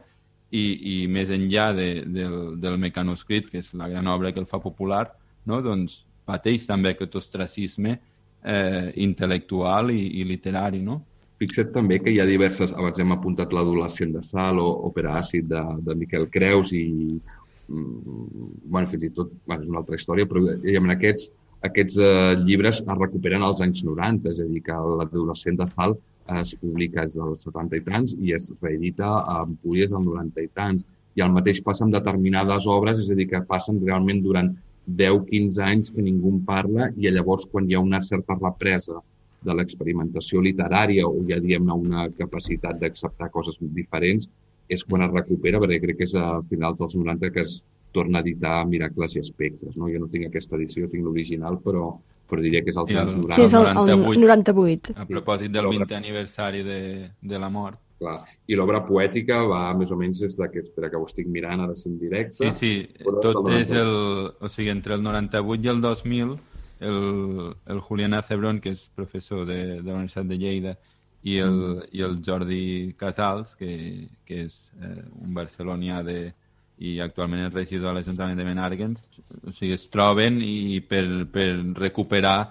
i més enllà del Mecanoscrit, que és la gran obra que el fa popular, no? Doncs pateix també aquest ostracisme intel·lectual i literari, no? Fixa't també que hi ha diverses... Abans hem apuntat l'Adolescent de Sal o Òpera Àcid de Miquel Creus i... fins i tot... És una altra història, però en aquests llibres es recuperen als anys 90, és a dir, que l'Adolescent de Sal es publica als 70 i tants i es reedita a Empúries als 90 i tants. I el mateix passa amb determinades obres, és a dir, que passen realment durant 10-15 anys que ningú en parla, i llavors quan hi ha una certa represa de l'experimentació literària o ja diem una capacitat d'acceptar coses diferents, és quan es recupera, perquè crec que és a finals dels 90 que es torna a editar Miracles i Espectres. No? Jo no tinc aquesta edició, tinc l'original, però diria que és als anys 90. Sí, és el 98. A propòsit del 20è aniversari de la mort. Clar. I l'obra poètica va més o menys des d'aquest... Espera, que ho estic mirant ara en directe. Sí, tot és o sigui, entre el 98 i el 2000, el Julián Acebrón, que és professor de la Universitat de Lleida, i el Jordi Casals, que és un barcelonià i actualment és regidor de l'Ajuntament de Menàrguens, o sigui, es troben i per recuperar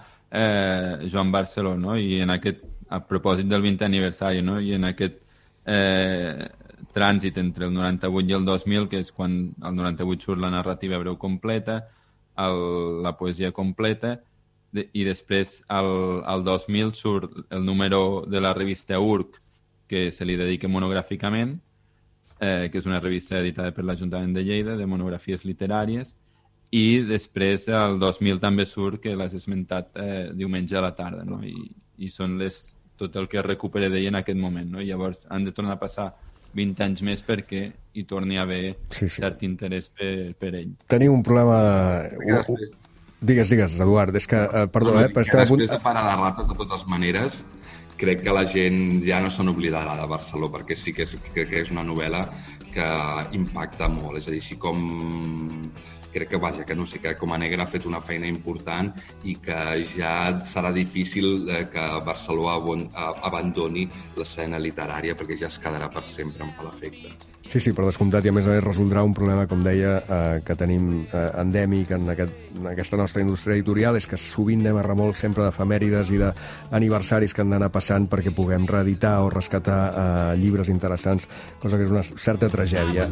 Joan Barceló, no? I a propòsit del 20è aniversari, no? I en aquest trànsit entre el 98 i el 2000, que és quan el 98 surt la narrativa breu completa, la poesia completa, i després al 2000 surt el número de la revista URC, que se li dedica monogràficament, que és una revista editada per l'Ajuntament de Lleida, de monografies literàries, i després el 2000 també surt, que l'has esmentat, diumenge a la tarda, no? I són tot el que es recupera d'ell en aquest moment, no? I llavors han de tornar a passar 20 anys més perquè hi torni a haver cert interès per ell. Tenim un problema... Digues, Eduard, és que... Perdó, després de Parar de rates, de totes maneres, crec que la gent ja no se n'oblidarà de Barceló, perquè sí que crec que és una novel·la que impacta molt. És a dir, així com... Crec que Com a Negra ha fet una feina important i que ja serà difícil que Barceló abandoni l'escena literària, perquè ja es quedarà per sempre, em fa l'efecte. Sí, per descomptat, i a més a més resoldrà un problema, com deia, que tenim endèmic en aquesta nostra indústria editorial, és que sovint anem a remolc sempre d'efemèrides i d'aniversaris que han d'anar passant perquè puguem reeditar o rescatar llibres interessants, cosa que és una certa tragèdia.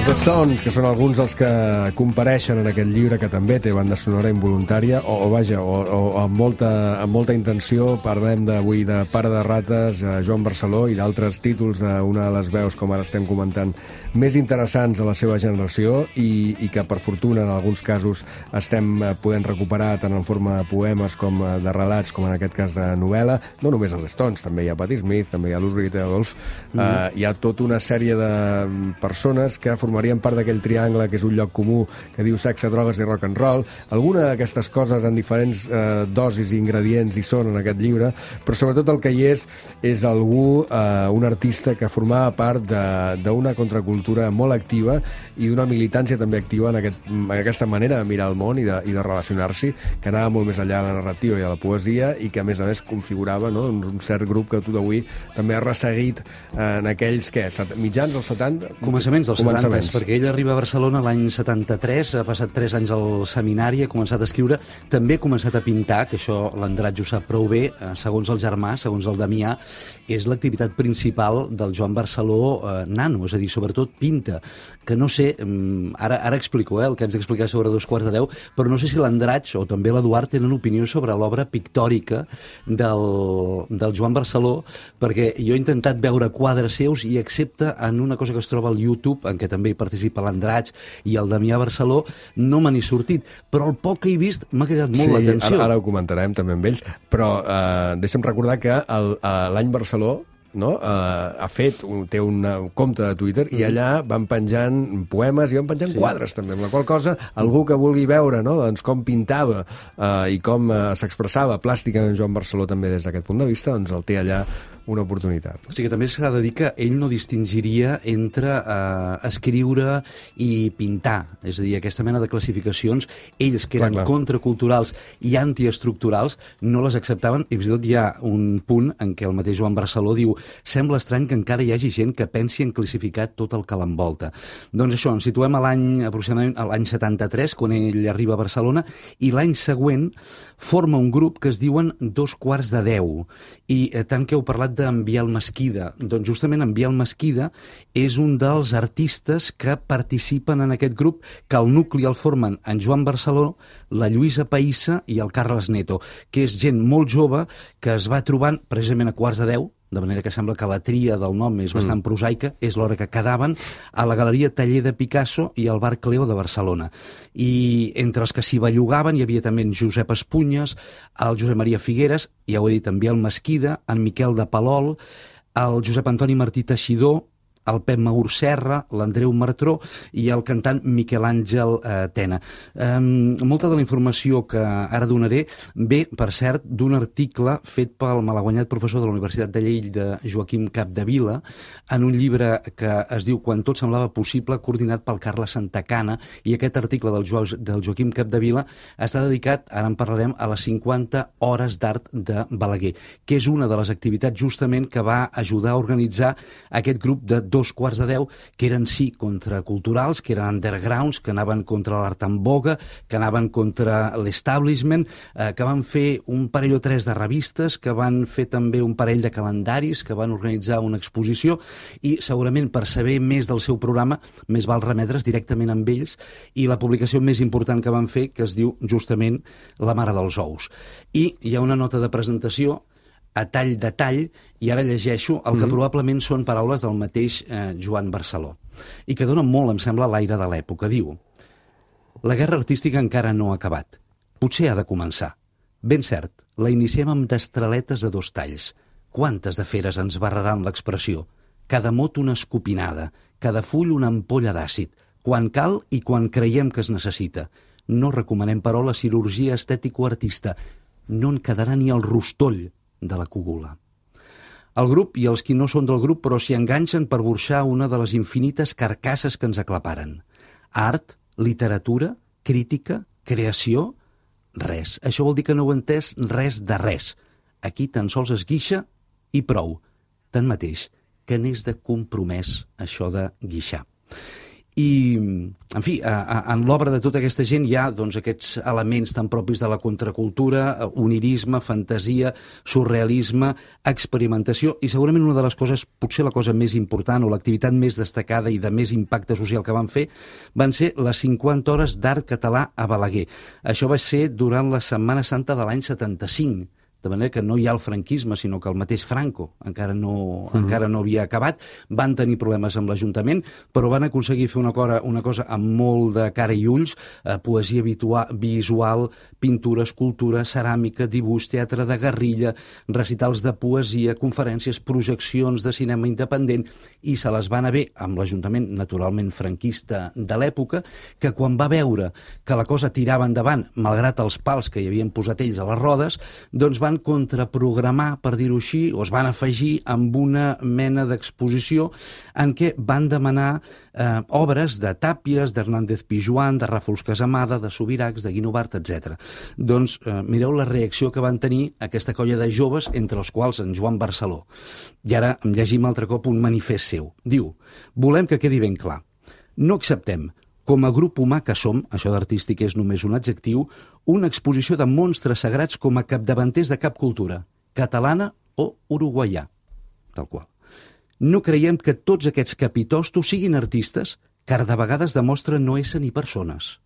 Els Stones, que són alguns dels que compareixen en aquest llibre, que també té banda sonora involuntària, o amb molta intenció. Parlem avui de Pare de rates, Joan Barceló, i d'altres títols d'una de les veus, com ara estem comentant, més interessants a la seva generació i que, per fortuna, en alguns casos estem podent recuperar tant en forma de poemes com de relats, com en aquest cas de novel·la. No només els Stones, també hi ha Patti Smith, també hi ha Lou Reed, hi ha tota una sèrie de persones que formarien part d'aquell triangle que és un lloc comú, que diu sexe, drogues i rock and roll. Alguna d'aquestes coses en diferents dosis i ingredients hi són en aquest llibre, però sobretot el que hi és algú, un artista que formava part d'una contracultura molt activa i d'una militància també activa en aquesta manera de mirar el món i de relacionar-s'hi, que anava molt més enllà de la narrativa i de la poesia, i que a més configurava, no, un cert grup que tu d'avui també has resseguit en aquells, mitjans dels 70? Començaments dels 70, perquè ell arriba a Barcelona l'any 73, ha passat 3 anys al seminari, ha començat a escriure, també ha començat a pintar, que això l'Andratx ho sap prou bé, segons el germà, segons el Damià, és l'activitat principal del Joan Barceló nano, és a dir, sobretot pinta, que no sé, ara explico el que haig d'explicar sobre 2:15, però no sé si l'Andratx o també l'Eduard tenen opinió sobre l'obra pictòrica del Joan Barceló, perquè jo he intentat veure quadres seus i excepte en una cosa que es troba al YouTube, en què també hi participa l'Andratx i el Damià Barceló, no me n'he sortit, però el poc que he vist m'ha quedat molt l'atenció. Ara ho comentarem també amb ells, però deixa'm recordar que l'any Barceló té un compte de Twitter i allà van penjant poemes i van penjant quadres també, amb la qual cosa algú que vulgui veure doncs, com pintava i com s'expressava plàsticament Joan Barceló també des d'aquest punt de vista, doncs el té allà una oportunitat. Sí, que també s'ha de dir que ell no distingiria entre escriure i pintar, és a dir, aquesta mena de classificacions, ells que eren contraculturals i antiestructurals no les acceptaven, i fins i tot hi ha un punt en què el mateix Joan Barceló diu: sembla estrany que encara hi hagi gent que pensi en classificar tot el que l'envolta. Doncs això, ens situem aproximadament a l'any 73, quan ell arriba a Barcelona, i l'any següent forma un grup que es diuen 2:15, i tant que heu parlat d'en Biel Mesquida, doncs justament en Biel Mesquida és un dels artistes que participen en aquest grup, que el nucli el formen en Joan Barceló, la Lluïsa Païssa i el Carles Neto, que és gent molt jove que es va trobant precisament a 2:15, de manera que sembla que la tria del nom és bastant prosaica, és l'hora que quedaven a la Galeria Taller de Picasso i al Bar Cleo de Barcelona. I entre els que s'hi bellugaven hi havia també en Josep Espunyes, el Josep Maria Figueres, ja ho he dit, en Biel Mesquida, en Miquel de Palol, el Josep Antoni Martí Teixidor, el Pep Maur Serra, l'Andreu Martró i el cantant Miquel Àngel Tena. Molta de la informació que ara donaré ve, per cert, d'un article fet pel malaguanyat professor de la Universitat de Lleida, Joaquim Capdevila, en un llibre que es diu Quan tot semblava possible, coordinat pel Carles Santacana, i aquest article del Joaquim Capdevila està dedicat, ara en parlarem, a les 50 hores d'art de Balaguer, que és una de les activitats justament que va ajudar a organitzar aquest grup de 2:45, que eren sí contraculturals, que eren undergrounds, que anaven contra l'art en voga, que anaven contra l'establishment, que van fer un parell o tres de revistes, que van fer també un parell de calendaris, que van organitzar una exposició, i segurament per saber més del seu programa més val remetre's directament amb ells, i la publicació més important que van fer, que es diu justament La mare dels ous. I hi ha una nota de presentació a tall de tall, i ara llegeixo el que probablement són paraules del mateix Joan Barceló, i que dona molt, em sembla, l'aire de l'època. Diu: la guerra artística encara no ha acabat. Potser ha de començar. Ben cert, la iniciem amb destraletes de 2 talls. Quantes de feres ens barraran l'expressió? Cada mot una escopinada, cada full una ampolla d'àcid, quan cal i quan creiem que es necessita. No recomanem, però, la cirurgia estètico-artista. No en quedarà ni el rostoll de la cogula. El grup i els qui no són del grup però s'hi enganxen per burxar una de les infinites carcasses que ens aclaparen. Art, literatura, crítica, creació, res. Això vol dir que no ho he entès res de res. Aquí tan sols es guixa i prou. Tanmateix, que n'és de compromès això de guixar. I, en fi, en l'obra de tota aquesta gent hi ha doncs, aquests elements tan propis de la contracultura, onirisme, fantasia, surrealisme, experimentació, i segurament una de les coses, potser la cosa més important o l'activitat més destacada i de més impacte social que van fer, van ser les 50 hores d'art català a Balaguer. Això va ser durant la Setmana Santa de l'any 75, de manera que no hi ha el franquisme, sinó que el mateix Franco encara no havia acabat. Van tenir problemes amb l'Ajuntament, però van aconseguir fer una cosa amb molt de cara i ulls, poesia visual, pintura, escultura, ceràmica, dibuix, teatre de guerrilla, recitals de poesia, conferències, projeccions de cinema independent, i se les va anar bé amb l'Ajuntament, naturalment franquista de l'època, que quan va veure que la cosa tirava endavant, malgrat els pals que hi havien posat ells a les rodes, doncs van contraprogramar, per dir-ho així, o es van afegir amb una mena d'exposició en què van demanar obres de Tàpies, d'Hernández Pijuan, de Ràfols Casamada, de Subirachs, de Guinovart, etc. Doncs mireu la reacció que van tenir aquesta colla de joves, entre els quals en Joan Barceló. I ara em llegim altre cop un manifest seu. Diu: volem que quedi ben clar. No acceptem, com a grup humà que som, això d'artístic és només un adjectiu, una exposició de monstres sagrats com a capdavanters de cap cultura, catalana o uruguaià, tal qual. No creiem que tots aquests capitostos siguin artistes, car de vegades demostren no ésser ni persones.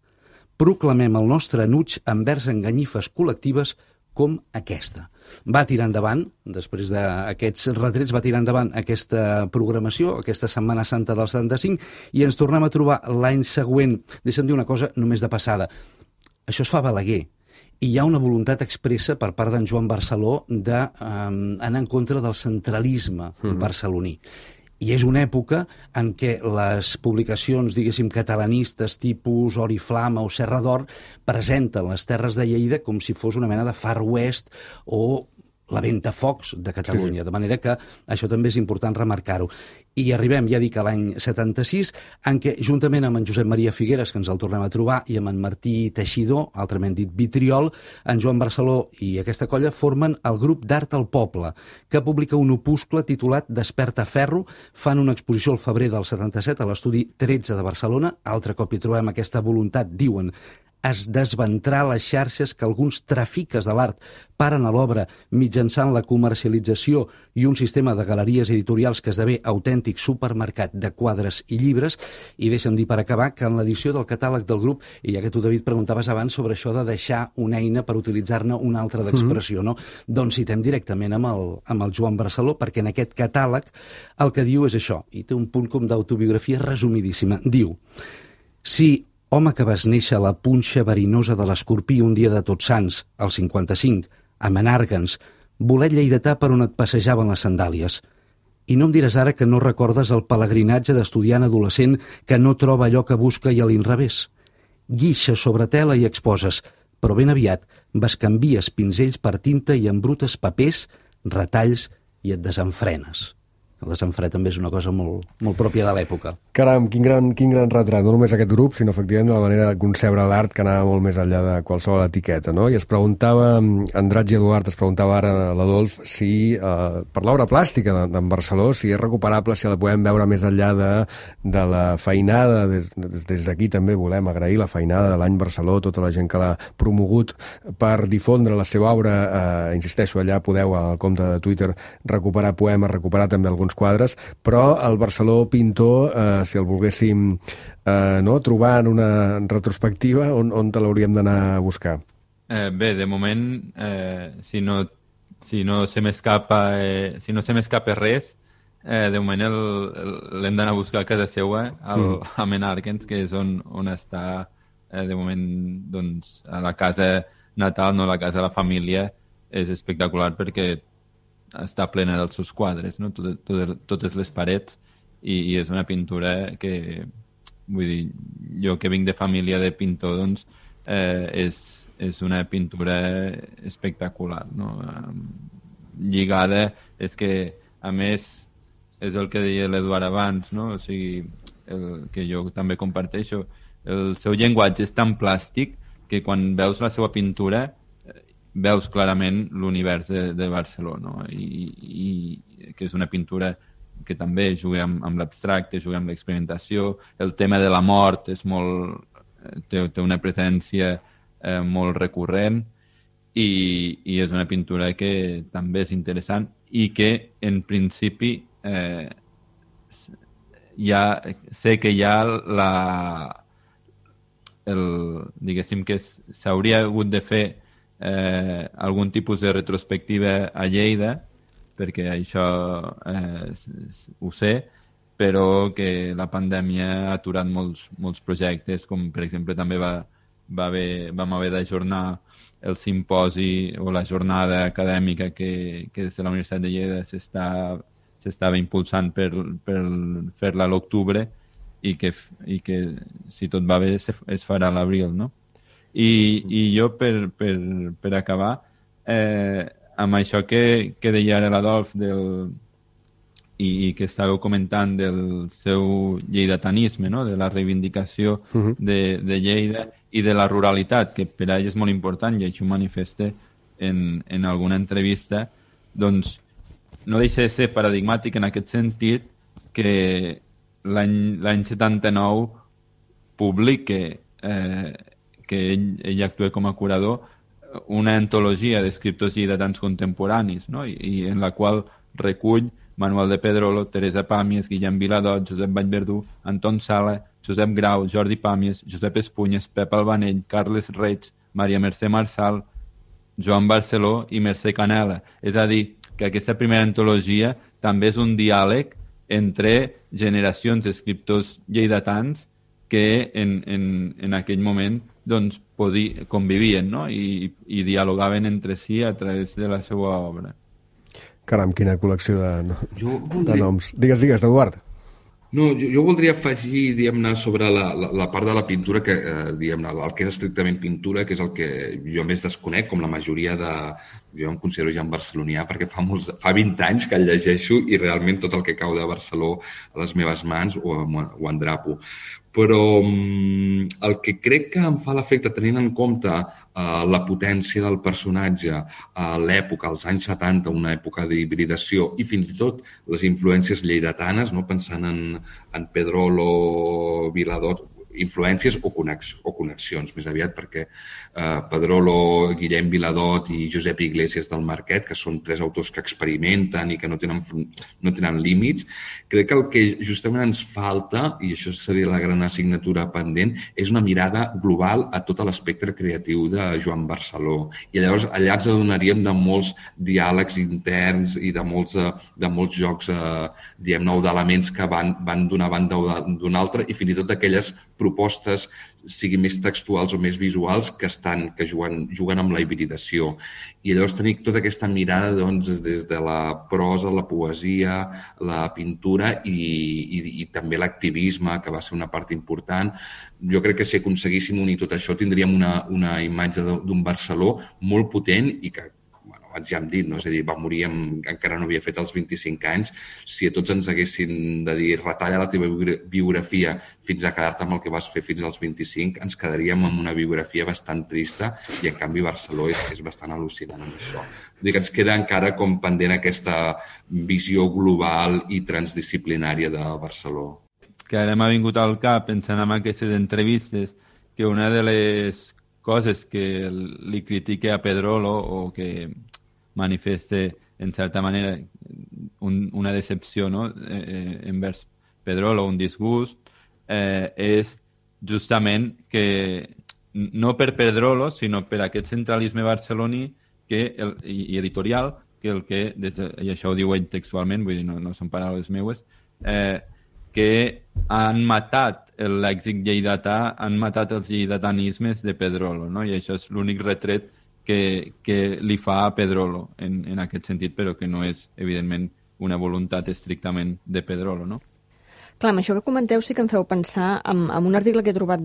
Proclamem el nostre enuig envers enganyifes col·lectives com aquesta. Va tirar endavant, després d'aquests retrets, va tirar endavant aquesta programació, aquesta Setmana Santa del 75, i ens tornem a trobar l'any següent. Deixa'm dir una cosa només de passada. Això es fa a Balaguer, i hi ha una voluntat expressa per part d'en Joan Barceló d'anar en contra del centralisme barceloní. I és una època en què les publicacions, diguéssim, catalanistes tipus Oriflama o Serra d'Or presenten les terres de Lleida com si fos una mena de Far West o la Ventafocs de Catalunya, de manera que això també és important remarcar-ho. I arribem, ja dic, a l'any 76, en què, juntament amb en Josep Maria Figueres, que ens el tornem a trobar, i amb en Martí Teixidor, altrament dit Vitriol, en Joan Barceló i aquesta colla formen el grup d'Art al Poble, que publica un opuscle titulat Desperta Ferro. Fan una exposició al febrer del 77 a l'estudi 13 de Barcelona. Altre cop hi trobem aquesta voluntat, diuen, es desventrar les xarxes que alguns trafiques de l'art paren a l'obra mitjançant la comercialització i un sistema de galeries editorials que esdevé autèntic supermercat de quadres i llibres. I deixa'm dir per acabar que en l'edició del catàleg del grup, i ja que tu, David, preguntaves abans sobre això de deixar una eina per utilitzar-ne una altra d'expressió, no? Doncs citem directament amb el Joan Barceló, perquè en aquest catàleg el que diu és això, i té un punt com d'autobiografia resumidíssima. Diu: si home que vas néixer a la punxa verinosa de l'Escorpí un dia de Tots Sants, al 55, a Menàrguens, bolet lleidatà per on et passejaven les sandàlies. I no em diràs ara que no recordes el pelegrinatge d'estudiant adolescent que no troba allò que busca i a l'inrevés. Guixes sobre tela i exposes, però ben aviat bescanvies pinzells per tinta i embrutes papers, retalls i et desenfrenes. El desenfre també és una cosa molt pròpia de l'època. Caram, quin gran retrat, no només aquest grup, sinó efectivament de la manera de concebre l'art que anava molt més enllà de qualsevol etiqueta, no? I es preguntava, Andratx i Eduard, es preguntava ara l'Adolf, si per l'obra plàstica d'en Barceló, si és recuperable, si la podem veure més enllà de la feinada. Des d'aquí també volem agrair la feinada de l'Any Barceló, tota la gent que l'ha promogut per difondre la seva obra. Insisteixo, allà podeu, al compte de Twitter, recuperar poemes, recuperar també alguns quadres, però el Barceló pintor, si el volguéssim trobar en una retrospectiva, on te l'hauríem d'anar a buscar? Bé, de moment, si no se m'escapa res, de moment l'hem d'anar a buscar a casa seva, a Menàrquens, que és on està, de moment, doncs, a la casa natal, no, la casa de la família, és espectacular perquè està plena dels seus quadres, no? Totes les parets, i és una pintura que, vull dir, jo que vinc de família de pintor, doncs, és una pintura espectacular, no? Lligada, és que, a més, és el que deia l'Eduard abans, no? O sigui, que jo també comparteixo, el seu llenguatge és tan plàstic que quan veus la seva pintura veus clarament l'univers de Barceló, no? I que és una pintura que també juga amb l'abstracte, juga amb l'experimentació. El tema de la mort és té una presència molt recurrent i és una pintura que també és interessant i que, en principi, sé que hi ha diguéssim que s'hauria hagut de fer algun tipus de retrospectiva a Lleida, perquè això ho sé, però que la pandèmia ha aturat molts projectes, com per exemple també vam haver d'ajornar el simposi o la jornada acadèmica que des de la Universitat de Lleida s'estava impulsant per fer-la a l'octubre i que si tot va bé es farà a l'abril, no? I jo, per acabar, amb això que deia ara l'Adolf i que estàveu comentant del seu lleidatanisme, no? De la reivindicació de Lleida i de la ruralitat, que per a ell és molt important, i això ho manifesta en alguna entrevista, doncs no deixa de ser paradigmàtic en aquest sentit que l'any 79 publica que ell actua com a curador, una antologia d'escriptors lleidatans contemporanis, no? I en la qual recull Manuel de Pedrolo, Teresa Pàmies, Guillem Viladot, Josep Vallverdú, Anton Sala, Josep Grau, Jordi Pàmies, Josep Espunyes, Pep Albanell, Carles Reig, Maria Mercè Marçal, Joan Barceló i Mercè Canela. És a dir, que aquesta primera antologia també és un diàleg entre generacions d'escriptors lleidatans que en aquell moment doncs, convivien, no? I dialogaven entre si a través de la seva obra. Caram, quina col·lecció de noms. Digues, Eduard. No, jo voldria afegir, diguem-ne, sobre la part de la pintura, que, diguem-ne, el que és estrictament pintura, que és el que jo més desconec, com la majoria de... Jo em considero ja en barcelonià, perquè fa 20 anys que el llegeixo i realment tot el que cau de Barceló a les meves mans ho endrapo. Però el que crec que em fa l'efecte, tenint en compte la potència del personatge, l'època, als anys 70, una època d'hibridació, i fins i tot les influències lleidatanes, no? Pensant en Pedrolo, Viladot, influències o connexions, més aviat, perquè Pedrolo, Guillem Viladot i Josep Iglesias del Marquet, que són 3 autors que experimenten i que no tenen límits, crec que el que justament ens falta, i això seria la gran assignatura pendent, és una mirada global a tot l'espectre creatiu de Joan Barceló. I llavors allà ens adonaríem de molts diàlegs interns i de molts jocs, diguem-ne, d'elements que van d'una banda o d'una altra, i fins i tot d'aquelles propostes siguin més textuals o més visuals que juguen amb la hibridació. I llavors tenir tota aquesta mirada des de la prosa, la poesia, la pintura i també l'activisme, que va ser una part important. Jo crec que si aconseguíssim unir tot això tindríem una imatge d'un Barceló molt potent i que ja hem dit, no? És a dir, va morir encara no havia fet els 25 anys. Si a tots ens haguessin de dir retalla la teva biografia fins a quedar-te amb el que vas fer fins als 25, ens quedaríem amb una biografia bastant trista i en canvi Barceló és bastant al·lucinant amb això. Vull dir que ens queda encara com pendent aquesta visió global i transdisciplinària de Barceló. Que ara m'ha vingut al cap pensant en aquestes entrevistes que una de les coses que li critique a Pedrolo o que manifeste, en certa manera, una decepció, no? Envers Pedrolo, un disgust, és justament que, no per Pedrolo, sinó per aquest centralisme barceloní i editorial, i això ho diu ell textualment, vull dir, no són paraules meues, que han matat el lèxic lleidatà, han matat els lleidatanismes de Pedrolo, no? I això és l'únic retret que li fa a Pedrolo en aquest sentit, però que no és, evidentment, una voluntat estrictament de Pedrolo, no? Clar, amb això que comenteu sí que em feu pensar en un article que he trobat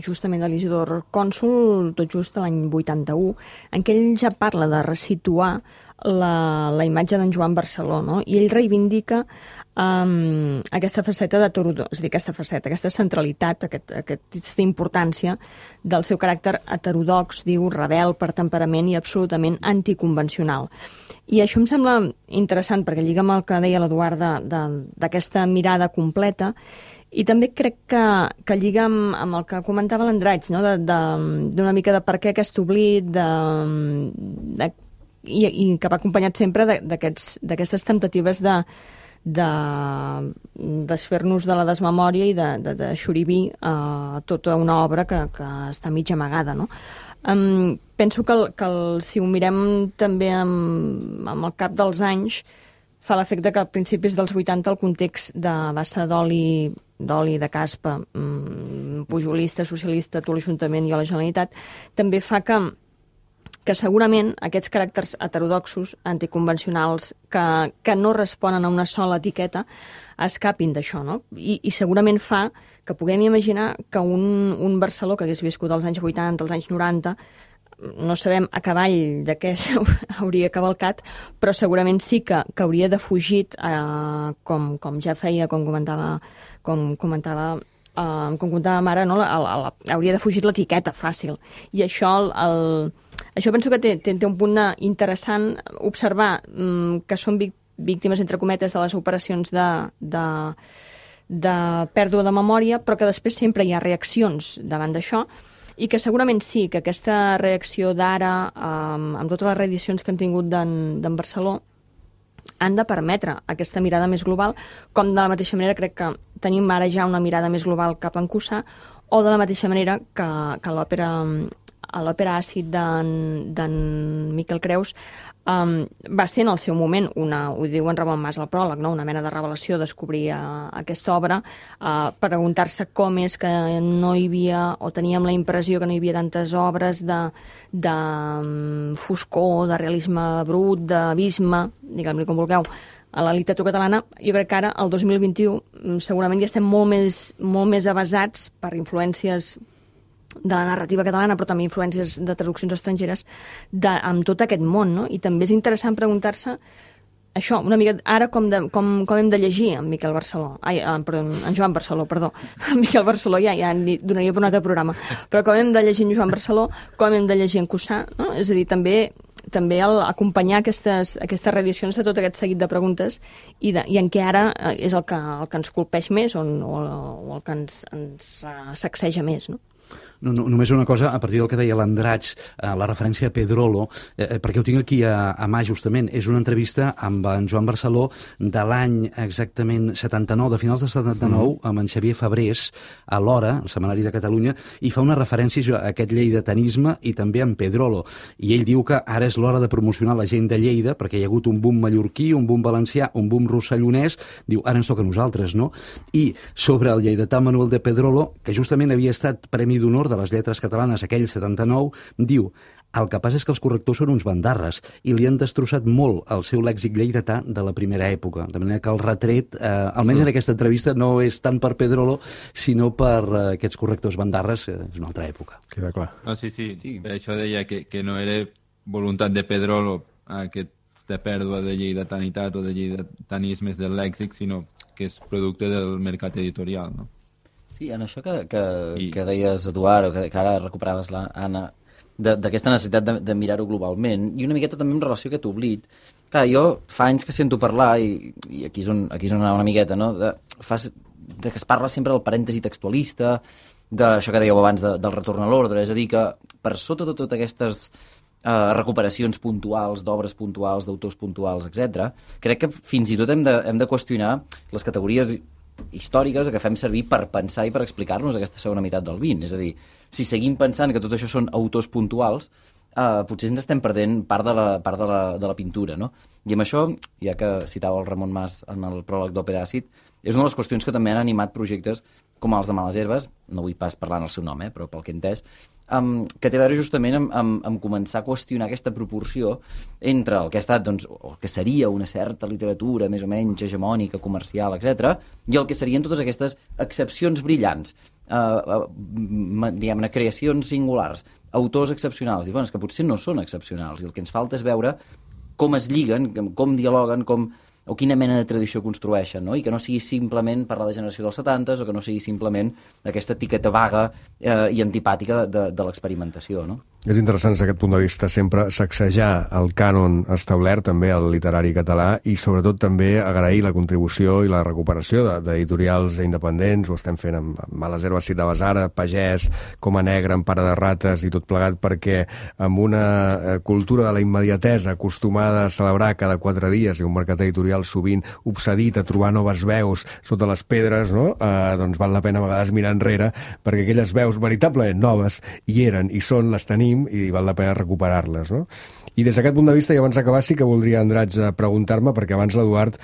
justament de l'Isidor Cònsul, tot just l'any 81, en què ell ja parla de resituar la imatge d'en Joan Barceló, no? I ell reivindica aquesta faceta és a dir, aquesta centralitat, aquesta importància del seu caràcter heterodox, diu, rebel per temperament i absolutament anticonvencional. I això em sembla interessant perquè lliga amb el que deia l'Eduard d'aquesta mirada completa i també crec que lliga amb el que comentava l'Andratx, no? D'una mica de per què aquest oblit, i que va acompanyat sempre d'aquestes temptatives de desfer-nos de la desmemòria i de xorivir tota una obra que està mig amagada, no? Penso que si ho mirem també amb el cap dels anys, fa l'efecte que a principis dels 80 el context de bassa d'oli, de caspa, pujolista, socialista, tot l'Ajuntament i a la Generalitat, també fa que segurament aquests caràcters heterodoxos, anticonvencionals, que no responen a una sola etiqueta, escapin d'això, no? I segurament fa que puguem imaginar que un Barceló que hagués viscut als anys 80, als anys 90, no sabem a cavall de què hauria cavalcat, però segurament sí que hauria defugit, com ja feia, com comentava Mara, no? Hauria defugit l'etiqueta fàcil. I això penso que té un punt interessant observar que són víctimes, entre cometes, de les operacions de pèrdua de memòria, però que després sempre hi ha reaccions davant d'això, i que segurament sí, que aquesta reacció d'ara, amb totes les reedicions que hem tingut d'en Barceló, han de permetre aquesta mirada més global, com de la mateixa manera crec que tenim ara ja una mirada més global cap a en Cussà, o de la mateixa manera que l'òpera Àcid d'en Miquel Creus va ser en el seu moment, ho diu en Ramon Mas al pròleg, no? Una mena de revelació descobrir aquesta obra, preguntar-se com és que no hi havia, o teníem la impressió que no hi havia tantes obres de foscor, de realisme brut, d'abisme, diguem-li com vulgueu, a la literatura catalana. Jo crec que ara, el 2021, segurament ja estem molt més avasats per influències de la narrativa catalana, però també influències de traduccions estrangeres, amb tot aquest món, no? I també és interessant preguntar-se això, una mica, ara com hem de llegir en Miquel Barceló, en Joan Barceló, perdó, en Miquel Barceló ja donaria per un altre programa, però com hem de llegir en Joan Barceló, com hem de llegir en Cussà, no? És a dir, també acompanyar aquestes reedicions de tot aquest seguit de preguntes i en què ara és el que ens colpeix més o el que ens sacseja més, no? Només una cosa, a partir del que deia l'Andratx, la referència a Pedrolo, perquè ho tinc aquí a mà justament, és una entrevista amb en Joan Barceló de l'any exactament 79, de finals de 79, amb en Xavier Fabrés, a l'Hora, el Setmanari de Catalunya, i fa una referència a aquest lleidatanisme i també en Pedrolo. I ell diu que ara és l'hora de promocionar la gent de Lleida, perquè hi ha hagut un boom mallorquí, un boom valencià, un boom rossellonès, diu, ara ens toca a nosaltres, no? I sobre el lleidatà Manuel de Pedrolo, que justament havia estat Premi d'Honor de les Lletres Catalanes aquell 79, diu: el que passa és que els correctors són uns bandarres i li han destrossat molt el seu lèxic lleidatà de la primera època. De manera que el retret, almenys en aquesta entrevista, no és tant per Pedrolo, sinó per aquests correctors bandarres, és una altra època. Queda clar. No, sí. Per això deia que no era voluntat de Pedrolo aquesta pèrdua de lleidatanitat o de lleidatanismes del lèxic, sinó que és producte del mercat editorial, no? Sí, en això que deies, Eduard, o que ara recuperaves l'Anna, d'aquesta necessitat de mirar-ho globalment, i una miqueta també en relació a aquest oblit. Clar, jo fa anys que sento parlar, i aquí és on anava una miqueta, no? de que es parla sempre del parèntesi textualista, d'això que dèieu abans del retorn a l'ordre, és a dir, que per sota de totes aquestes recuperacions puntuals, d'obres puntuals, d'autors puntuals, etc., crec que fins i tot hem de qüestionar les categories històriques que fem servir per pensar i per explicar-nos aquesta segona meitat del XX. És a dir, si seguim pensant que tot això són autors puntuals, potser ens estem perdent part de la pintura, no? I amb això, ja que citava el Ramon Mas en el pròleg d'Òpera Àcid, és una de les qüestions que també han animat projectes com els de Males Herbes, no vull pas parlar en el seu nom, però pel que he entès, que té a veure justament amb començar a qüestionar aquesta proporció entre el que ha estat, doncs, o el que seria una certa literatura més o menys hegemònica, comercial, etc., i el que serien totes aquestes excepcions brillants, diguem-ne, creacions singulars, autors excepcionals. I bueno, és que potser no són excepcionals, i el que ens falta és veure com es lliguen, com dialoguen, o quina mena de tradició construeixen, no? I que no sigui simplement parlar de generació dels 70s o que no sigui simplement aquesta etiqueta vaga i antipàtica de l'experimentació, no? És interessant des d'aquest punt de vista sempre sacsejar el cànon establert també al literari català i sobretot també agrair la contribució i la recuperació d'editorials independents, ho estem fent amb Males Herbes, citaves ara, Pagès, Coma Negra, Empara de Rates i tot plegat, perquè amb una cultura de la immediatesa acostumada a celebrar cada 4 dies i un mercat editorial sovint obsedit a trobar noves veus sota les pedres, no? Doncs val la pena a vegades mirar enrere, perquè aquelles veus veritablement noves hi eren i són, les tenim i val la pena recuperar-les, no? I des d'aquest punt de vista, i abans d'acabar, sí que voldria, Andratx, preguntar-me, perquè abans l'Eduard,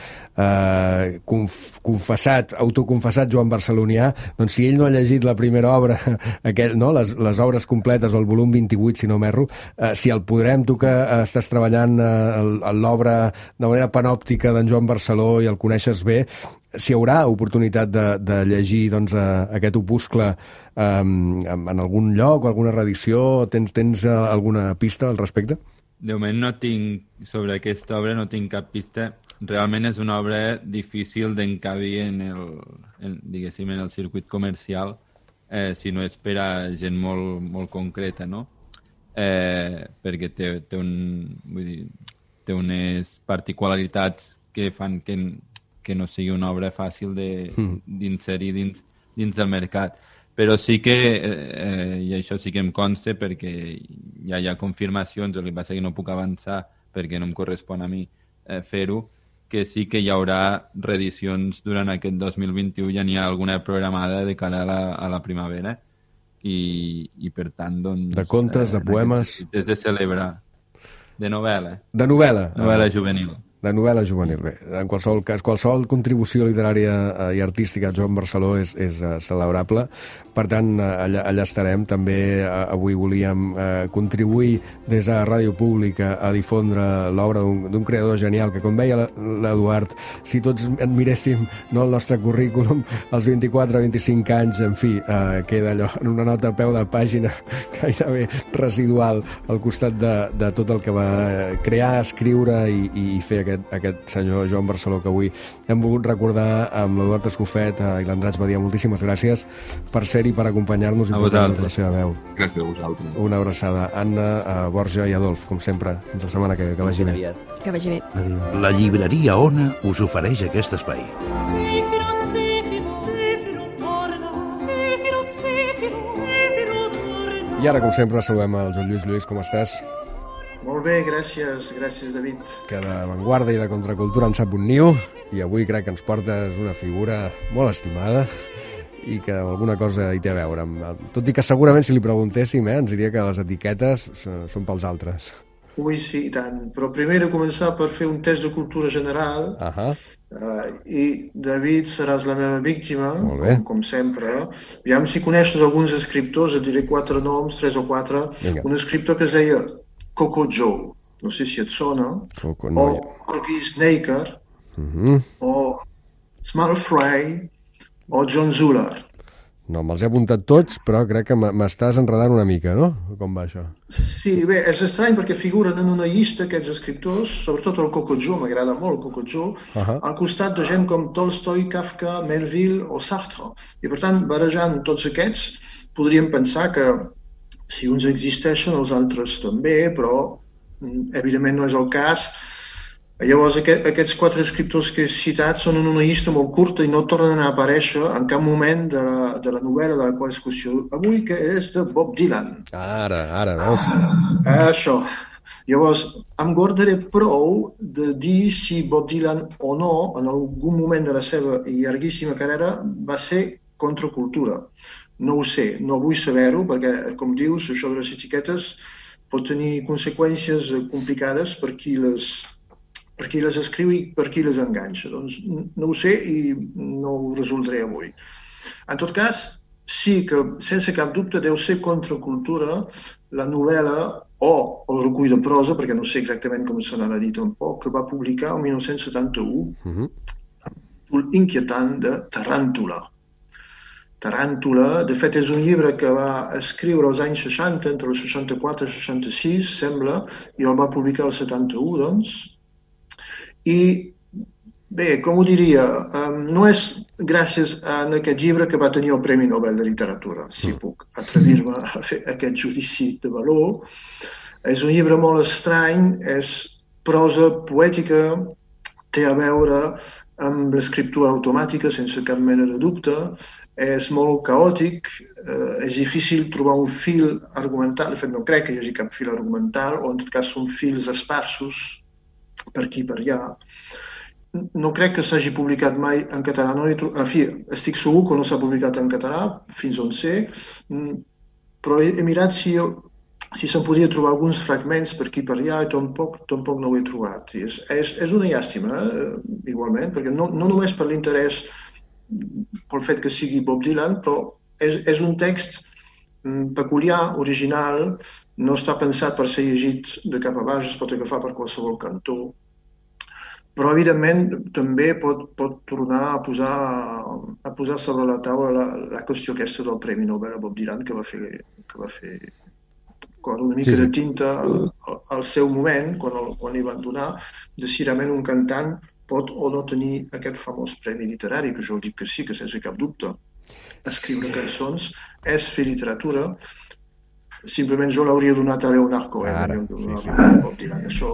autoconfessat Joan Barcelonià, doncs si ell no ha llegit la primera obra, les obres completes, el volum 28, si no m'erro, si el podrem, tu que estàs treballant l'obra de manera panòptica d'en Joan Barceló i el coneixes bé, si hi haurà oportunitat de llegir doncs, aquest opuscle en algun lloc o alguna reedició? Tens alguna pista al respecte? De moment no tinc, sobre aquesta obra no tinc cap pista. Realment és una obra difícil d'encabir en el circuit comercial, si no és per a gent molt concreta, no? Perquè té unes particularitats que fan que no sigui una obra fàcil d'inserir dins del mercat. Però sí que, i això sí que em consta perquè ja hi ha confirmacions, el que passa que no puc avançar perquè no em correspon a mi fer-ho, que sí que hi haurà reedicions durant aquest 2021, ja n'hi ha alguna programada de cara a la primavera i per tant, doncs... De contes, de poemes... És de celebrar. De novel·la. De novel·la? Novel·la juvenil. De novel·la juvenil, bé. En qualsevol cas, qualsevol contribució literària i artística a Joan Barceló és celebrable. Per tant, allà estarem. També avui volíem contribuir des de Ràdio Pública a difondre l'obra d'un creador genial que, com veia l'Eduard, si tots admiréssim el nostre currículum als 24-25 anys, en fi, queda allò en una nota a peu de pàgina gairebé residual al costat de tot el que va crear, escriure i fer aquest senyor Joan Barceló que avui hem volgut recordar amb l'Eduard Escofet i l'Andratx Badia. Moltíssimes gràcies per ser-hi, per acompanyar-nos i portar-nos la seva veu. Gràcies a vosaltres. Una abraçada. Anna, Borja i Adolf, com sempre. Fins la setmana que vagi bé. Que vagi bé. La llibreria Ona us ofereix aquest espai. I ara, com sempre, saludem el Joan Lluís. Lluís, com estàs? Molt bé, gràcies, David. Que de avantguarda i de contracultura en sap un niu, i avui crec que ens portes una figura molt estimada i que alguna cosa hi té a veure. Tot i que segurament si li preguntéssim, ens diria que les etiquetes són pels altres. Ui, sí, i tant. Però primer he de començar per fer un test de cultura general. I, David, seràs la meva víctima, com sempre. Aviam si coneixes alguns escriptors, et diré 4 noms, 3 o 4. Vinga. Un escriptor que es deia Coco Joe, no sé si et sona, o Corky Snaker, o Small Fry, o John Zuller. No, me'ls he apuntat tots, però crec que m'estàs enredant una mica, no? Com va això? Sí, bé, és estrany perquè figuren en una llista aquests escriptors, sobretot el Coco Joe, m'agrada molt el Coco Joe, al costat de gent com Tolstoi, Kafka, Melville o Sartre. I per tant, barrejant tots aquests, podríem pensar que si uns existeixen, els altres també, però evidentment no és el cas. Llavors, aquests 4 escriptors que he citat són en una llista molt curta i no tornen a aparèixer en cap moment de la novel·la de la qual discussió avui, que és de Bob Dylan. Ara, veus? Això. Llavors, em guardaré prou de dir si Bob Dylan o no, en algun moment de la seva llarguíssima carrera, va ser contracultura. No ho sé, no vull saber-ho, perquè, com dius, això de les etiquetes pot tenir conseqüències complicades per qui les escriu i per qui les enganxa. Doncs no ho sé i no ho resoldré avui. En tot cas, sí que, sense cap dubte, deu ser contracultura la novel·la o el recull de prosa, perquè no sé exactament com se n'ha dit tampoc, que va publicar el 1971, inquietant de Taràntula. Taràntula, de fet, és un llibre que va escriure als anys 60, entre els 64 i 66, sembla, i el va publicar el 71, doncs. I, bé, com ho diria, no és gràcies a aquest llibre que va tenir el Premi Nobel de Literatura, si puc atrevir-me a fer aquest judici de valor. És un llibre molt estrany, és prosa poètica, té a veure amb l'escriptura automàtica, sense cap mena de dubte, és molt caòtic, és difícil trobar un fil argumental, de fet no crec que hi hagi cap fil argumental, o en tot cas són fils esparsos per aquí i per allà. No crec que s'hagi publicat mai en català, en fi, estic segur que no s'ha publicat en català, fins on sé, però he mirat si se'n podia trobar alguns fragments per aquí i per allà i tampoc no ho he trobat. És una llàstima, igualment, perquè no només per l'interès pel fet que sigui Bob Dylan, però és un text peculiar, original, no està pensat per ser llegit de cap a baix, es pot agafar per qualsevol cantó, però evidentment també pot tornar a posar sobre la taula la qüestió aquesta del Premi Nobel a Bob Dylan, que va fer una mica de tinta al seu moment, quan li van donar, de si realment un cantant pot o no tenir aquest famós premi literari, que jo dic que sí, que sense cap dubte. Escriure cançons és fer literatura. Simplement jo l'hauria donat a Leonard Cohen. Bob Dylan. Això,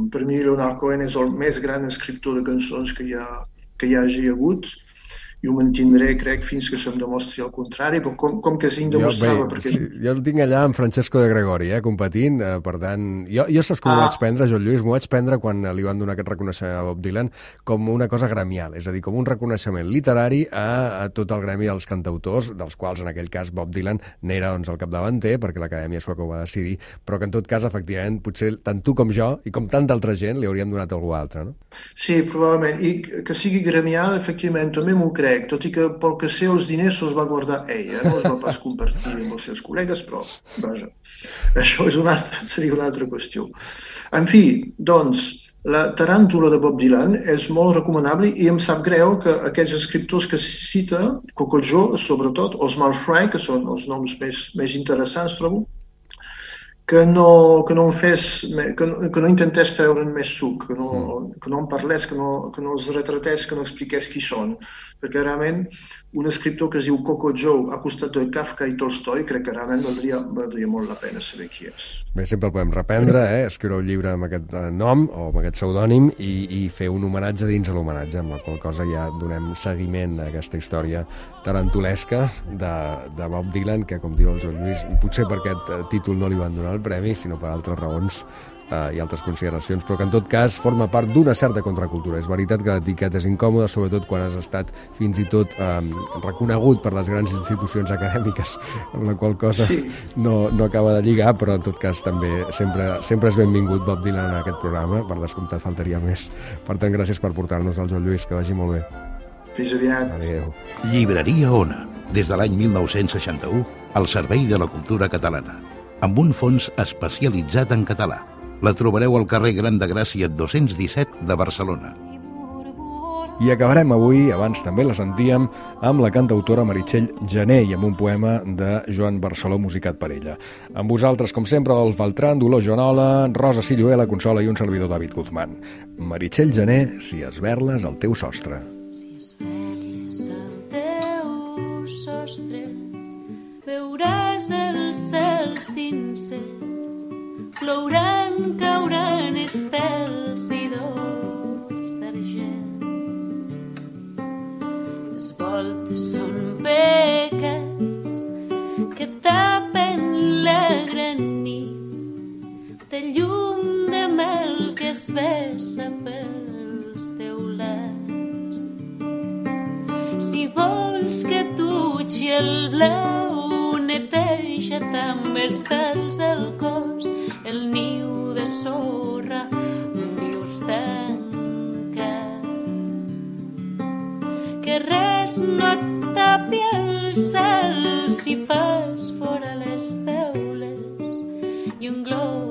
per mi, Leonard Cohen és el més gran escriptor de cançons que hi hagi hagut, i ho mantindré, crec, fins que se'm demostri el contrari, però com que s'hi demostrava... Jo el tinc allà amb Francesco de Gregori, competint, per tant... Jo saps com ho vaig prendre, Joan Lluís? M'ho vaig prendre quan li van donar aquest reconeixement a Bob Dylan com una cosa gremial, és a dir, com un reconeixement literari a tot el gremi dels cantautors, dels quals, en aquell cas, Bob Dylan n'era el capdavanter, perquè l'Acadèmia Sueca ho va decidir, però que, en tot cas, efectivament, potser tant tu com jo, i com tanta altra gent, li haurien donat a algú altre, no? Sí, probablement. I que sigui gremial, efectivament, també m'ho crec, tot i que pel que sé els diners se'ls va guardar ell, no els va pas compartir amb els seus col·legues, però vaja, això seria una altra qüestió. En fi, doncs, la Taràntula de Bob Dylan és molt recomanable i em sap greu que aquests escriptors que cita, Coco Joe, sobretot, o Small Fry, que són els noms més interessants, trobo, que no intentés treure'n més suc, que no en parlés, que no els retratés, que no expliqués qui són. Perquè realment un escriptor que es diu Coco Joe ha costat de Kafka i Tolstoi, crec que realment valdria molt la pena saber qui és. Bé, sempre el podem reprendre, escriure un llibre amb aquest nom o amb aquest pseudònim i fer un homenatge dins de l'homenatge, amb la qual cosa ja donem seguiment a aquesta història tarantulesca de Bob Dylan, que, com diu el Joan Lluís, potser per aquest títol no li van donar el premi, sinó per altres raons i altres consideracions, però que en tot cas forma part d'una certa contracultura. És veritat que l'etiqueta és incòmoda, sobretot quan has estat fins i tot reconegut per les grans institucions acadèmiques, amb la qual cosa no acaba de lligar, però en tot cas també sempre és benvingut Bob Dylan en aquest programa, per descomptat faltaria més. Per tant, gràcies per portar-nos al Joan Lluís, que vagi molt bé. Fins aviat. Adéu. Llibreria Ona, des de l'any 1961, al servei de la cultura catalana, amb un fons especialitzat en català. La trobareu al carrer Gran de Gràcia 217 de Barcelona. I acabarem avui, abans també la sentíem, amb la cantautora Meritxell Gené i amb un poema de Joan Barceló musicat per ella. Amb vosaltres, com sempre, Adolf Beltrán, Dolors Joanola, Rosa Silluela, Consola i un servidor David Guzmán. Meritxell Gené, si esberles el teu sostre. Si esberles el teu sostre, veuràs el cel sincer, plouran, cauran estels i dors d'argent. Les voltes són beques que tapen la gran nit de llum de mel que es vessa pels teulats. Si vols que tutxi el blau, neteja també estels al cos, el niu de sorra, un niu tancat. Que res no et tapi el cel si fas fora les teules i un glob